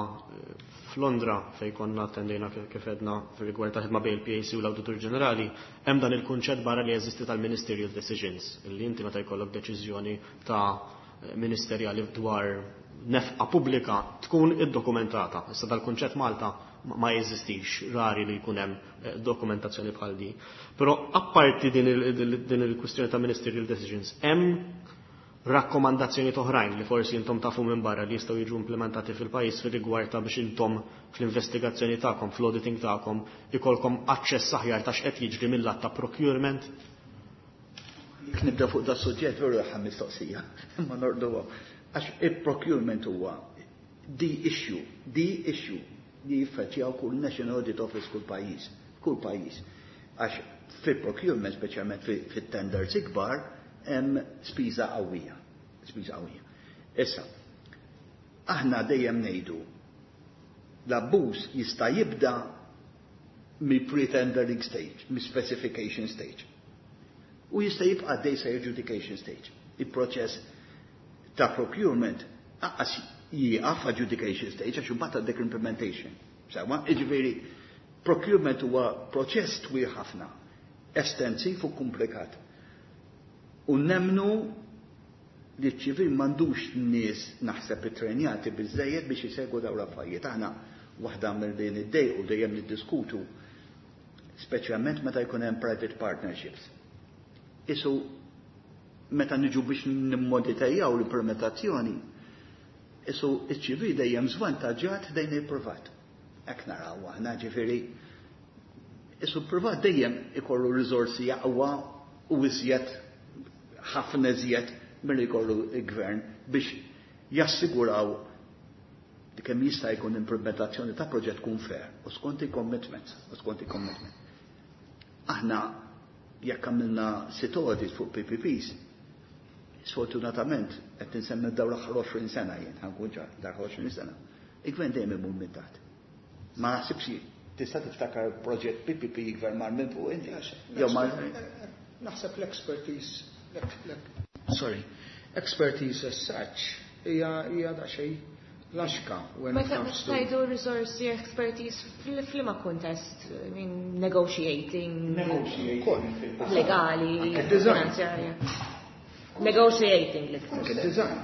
f'Londra fejn konna attendejna kif għedna fir-rigward ta' ħidma bejn il-P A C u l-Awditur Ġenerali, hemm dan il-kunċett barra li jeżisti tal-ministerial decisions, illi inti meta jkollok deċiżjoni ta' ministerjali dwar nefqa pubblika tkun iddokumentata. Issa dal-kunċett Malta ma jeżistix, rari li jkun hemm dokumentazzjoni bħal di. Però apparti din il-kwistjoni ta' ministerial decisions, hemm rakkomandazzjoni oħrajn li forsi intom tafu minn barra li jistgħu jiġu implementati fil-pajjiż fir-rigward ta' biex intom fl-investigazzjoni tagħkom, fl-auditing tagħkom, ikolkom aċċess aħjar ta' x'qed jiġri mill-lat ta' procurement?
Jekk nibda fuq da suġġett veru ħa mistoqsija, imma norduha. Għax il-procurement huwa the issue, the issue li jiffaċċjaw kull National Audit Office kull pajjiż, kull pajjiż. Għax fil-procurement, speċjalment fit-tenders ikbar, hemm spiża qawwija, spiża qawwija. Issa, aħna dejjem ngħidu l-abbuż jista' jibda mill-pre-tendering stage, mill-specification stage. U jista' jibqa' għaddej sa adjudication stage. Il-proċess ta' procurement lanqas jieqaf adjudication stage għax imbagħad għandek implementation. Sewwa, jiġifieri procurement huwa proċess twil ħafna, estensiv u komplikat. U nemmnu li ċ-ċivil m'għandux nies naħseb ittrenjati biżejjed biex isegwu dawn l-affarijiet. Aħna waħda mill-li niddejqu dejjem niddiskutu, speċjalment meta jkun hemm private partnerships. Isu meta niġu biex nimmonitorjaw l-implementazzjoni, isu iċ-ċivil dejjem żvantaġġat dejn il-privat. Hekk naraw aħna, ġifieri isu privat dejjem ikollu riżorsi aqwa u iżjed, ħafna iżjed milli jkollu il-gvern biex jassiguraw li kemm jista' jkun implementazzjoni ta' proġett tkun fair u skont il-commitment, u skont il-commitment. Aħna jekk għamilna sitt audit fuq P P Ps, sfortunatament qed insemmi dawn l-aħħar għoxrin sena jien, ħa nkun ċar, dar għoxrin sena. Il-gvern dejjem imur minn taħt. Ma naħsibx tista' tiftakar proġett P P P gvern mar minn fuq inti. Jew mar
Naħseb l-expertise, sorry, expertise as such hija hija daqsxejn laxka when it
Meta
comes to
tgħidu resource expertise, f'liema kuntest? I mean, negotiating,
Negotiating.
Legali,
Anke design.
Finanzjarja. Negotiating l
Anke design.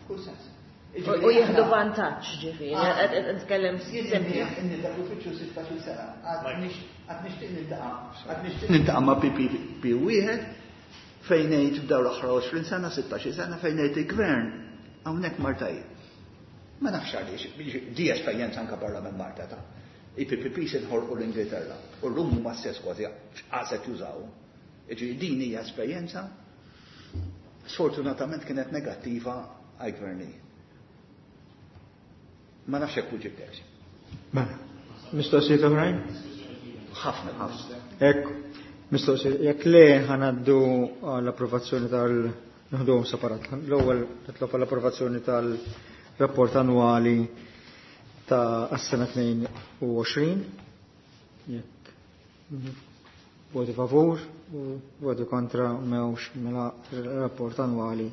F'kull sens.
U jieħdu vantaġġ, ġifieri, qed nitkellem sempli.
Inni dak l-uffiċċju sittax-il sena. Għad nixtieq niltaqa'. Għad nixtieq niltaqa' ma' P P P wieħed fejn ngħid f'dawn l-aħħar għoxrin sena, sittax-il sena, fejn ngħid il-gvern hawnhekk mar tajjeb. Ma nafx għaliex, di esperjenza anke barra minn Malta ta' I P P P se nħolqu l-Ingilterra u llum huma stess kważi għaset jużaw. Jiġifieri din hija esperjenza sfortunatament kienet negattiva għal-gvernijiet. Ma nafx hekk ġibtek.
Mela, mistoqsijiet oħrajn?
Ħafna, ħafna.
Ekk, mistoqsijiet, jekk le ħa ngħaddu għall-approvazzjoni tal Nħduhom separat. L-ewwel nitlob għall-approvazzjoni tal-rapport annwali ta' għas-sena tnejn u għoxrin. Jekk voti favur, voti kontra m'hemmx, mela rapport annwali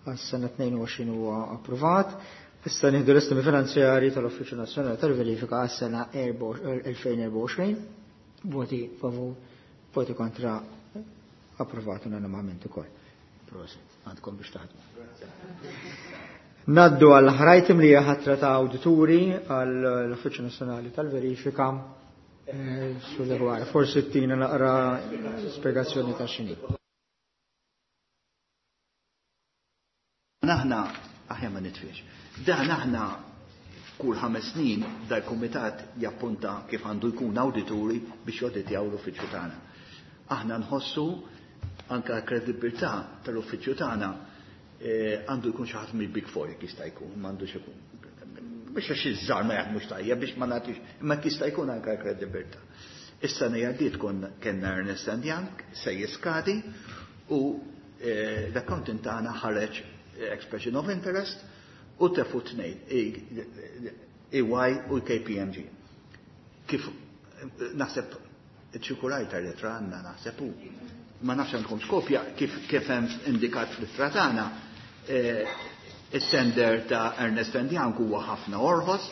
għas-sena tnejn u għoxrin huwa approvat. Issa nieħdu l-estimi finanzjari tal-Uffiċċju Nazzjonali tal-Verifika għas-sena elfejn u erbgħa u għoxrin. Voti favur, voti kontra, approvat unanimament ukoll. Prosit, għandkom biex taħdmu. Ngħaddu għall-aħħar item li hija ħatra ta' awdituri għall-Uffiċċju Nazzjonali tal-Verifika. Eh, Sull forsi tina naqra spiegazzjoni ta' x'inhi.
Aħna, aħjar ma nitfiex. Dan aħna kull ħames snin dal-kumitat jappunta kif għandu jkun awdituri biex jawditjaw l-uffiċċju tagħna. Aħna nħossu anka kredibilità tal-uffiċċju tagħna eh, għandu jkun xi ħadd mill-Big Four jekk jista' jkun, m'għandux ikun. Biex għax iż-żgħar ma jaħdmux tajjeb biex ma nagħtix, imma jista' jkun anka kredibilità. Is-sena għaddiet kon kellna Ernst and Young se jiskadi u eh, l-accountant tagħna ħareġ expression of interest u tefu tnejn, E Y u K P M G. Kif naħseb ċikulajta li għandna naħseb u ma nafx għandkom skopja kif kif hemm indikat fl-ittra tagħna, eh, It-tender ta' Ernst and Young huwa ħafna orħos,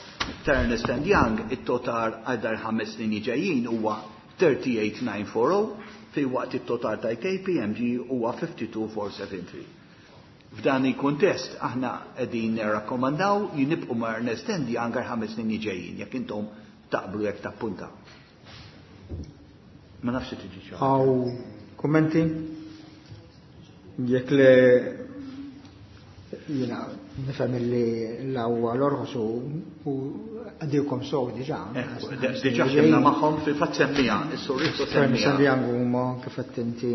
ta' Ernst and Young it-total għal dar ħames snin ġejjin huwa tlieta u tletin elf tmien mija u erbgħin fi waqt it-total ta' K P M G huwa tnejn u ħamsin elf tmien mija u tlieta u sebgħin. F'dan il-kuntest aħna qegħdin nirrakkomandaw nibqgħu ma' Ernst and Young għal ħames snin ġejjin, jekk intom taqblu, jekk tappunta. Ma nafx tiġi xi.
Hawn kummenti? Jekk le, jiena nifhem li l-ewwel l-orħos u għadilkom sow diġà.
Diġà ħdimna magħhom, fil-fatt semmija, is-Sur Rizzo
Ernst
semmija.
and Young huma kif qed inti.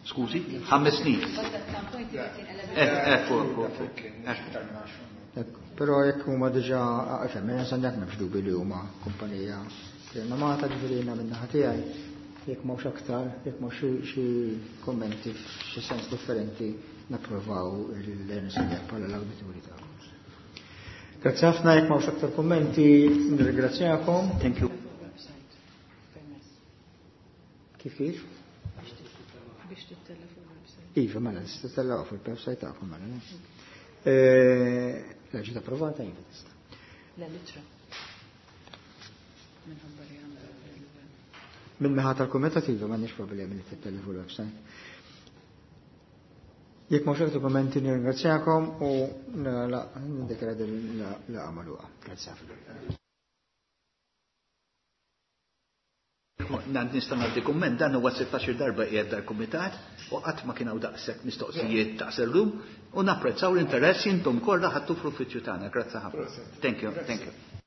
Skużi, ħames snin. Eh, ekku, ekku, ekku.
Ekku, però jekk huma diġà, ifhem, Ernst and Young m'hemmx dubi li huma kumpanija rinomata, ġifieri jiena min-naħa tiegħi, jekk m'hawnx aktar, jekk m'hawnx xi- xi kommenti f'xi sens differenti, napprovaw l-Ernst and Young bħala l-awdituri tagħkom. Grazzi ħafna, jekk m'hawnx aktar kummenti, nirringrazzjakom.
Thank you.
Kif kif?
Biex tittella fuq il-website.
Iva, mela, tista' tellgħu fuq il-website tagħkom, mela. Ne? Eh, La ġiet approvata, iva tista'.
La litra. Minħabba li għandha il-
Min naħa tal-kumitat, iva, m'għandniex problemi li tittella fuq il-website. Jekk m'hawnx aktar kummenti, nirringrazzjakom u niddikjara din il-laqgħa magħluqa. Grazzi ħafna.
Nista' nagħti kumment, dan huwa sittax-il darba qiegħed dal-kumitat u qatt ma kien hawn daqshekk mistoqsijiet daqs illum u napprezzaw l-interess intom kollha ħadtu fl-uffiċċju tagħna. Grazzi ħafna. Thank you, thank you.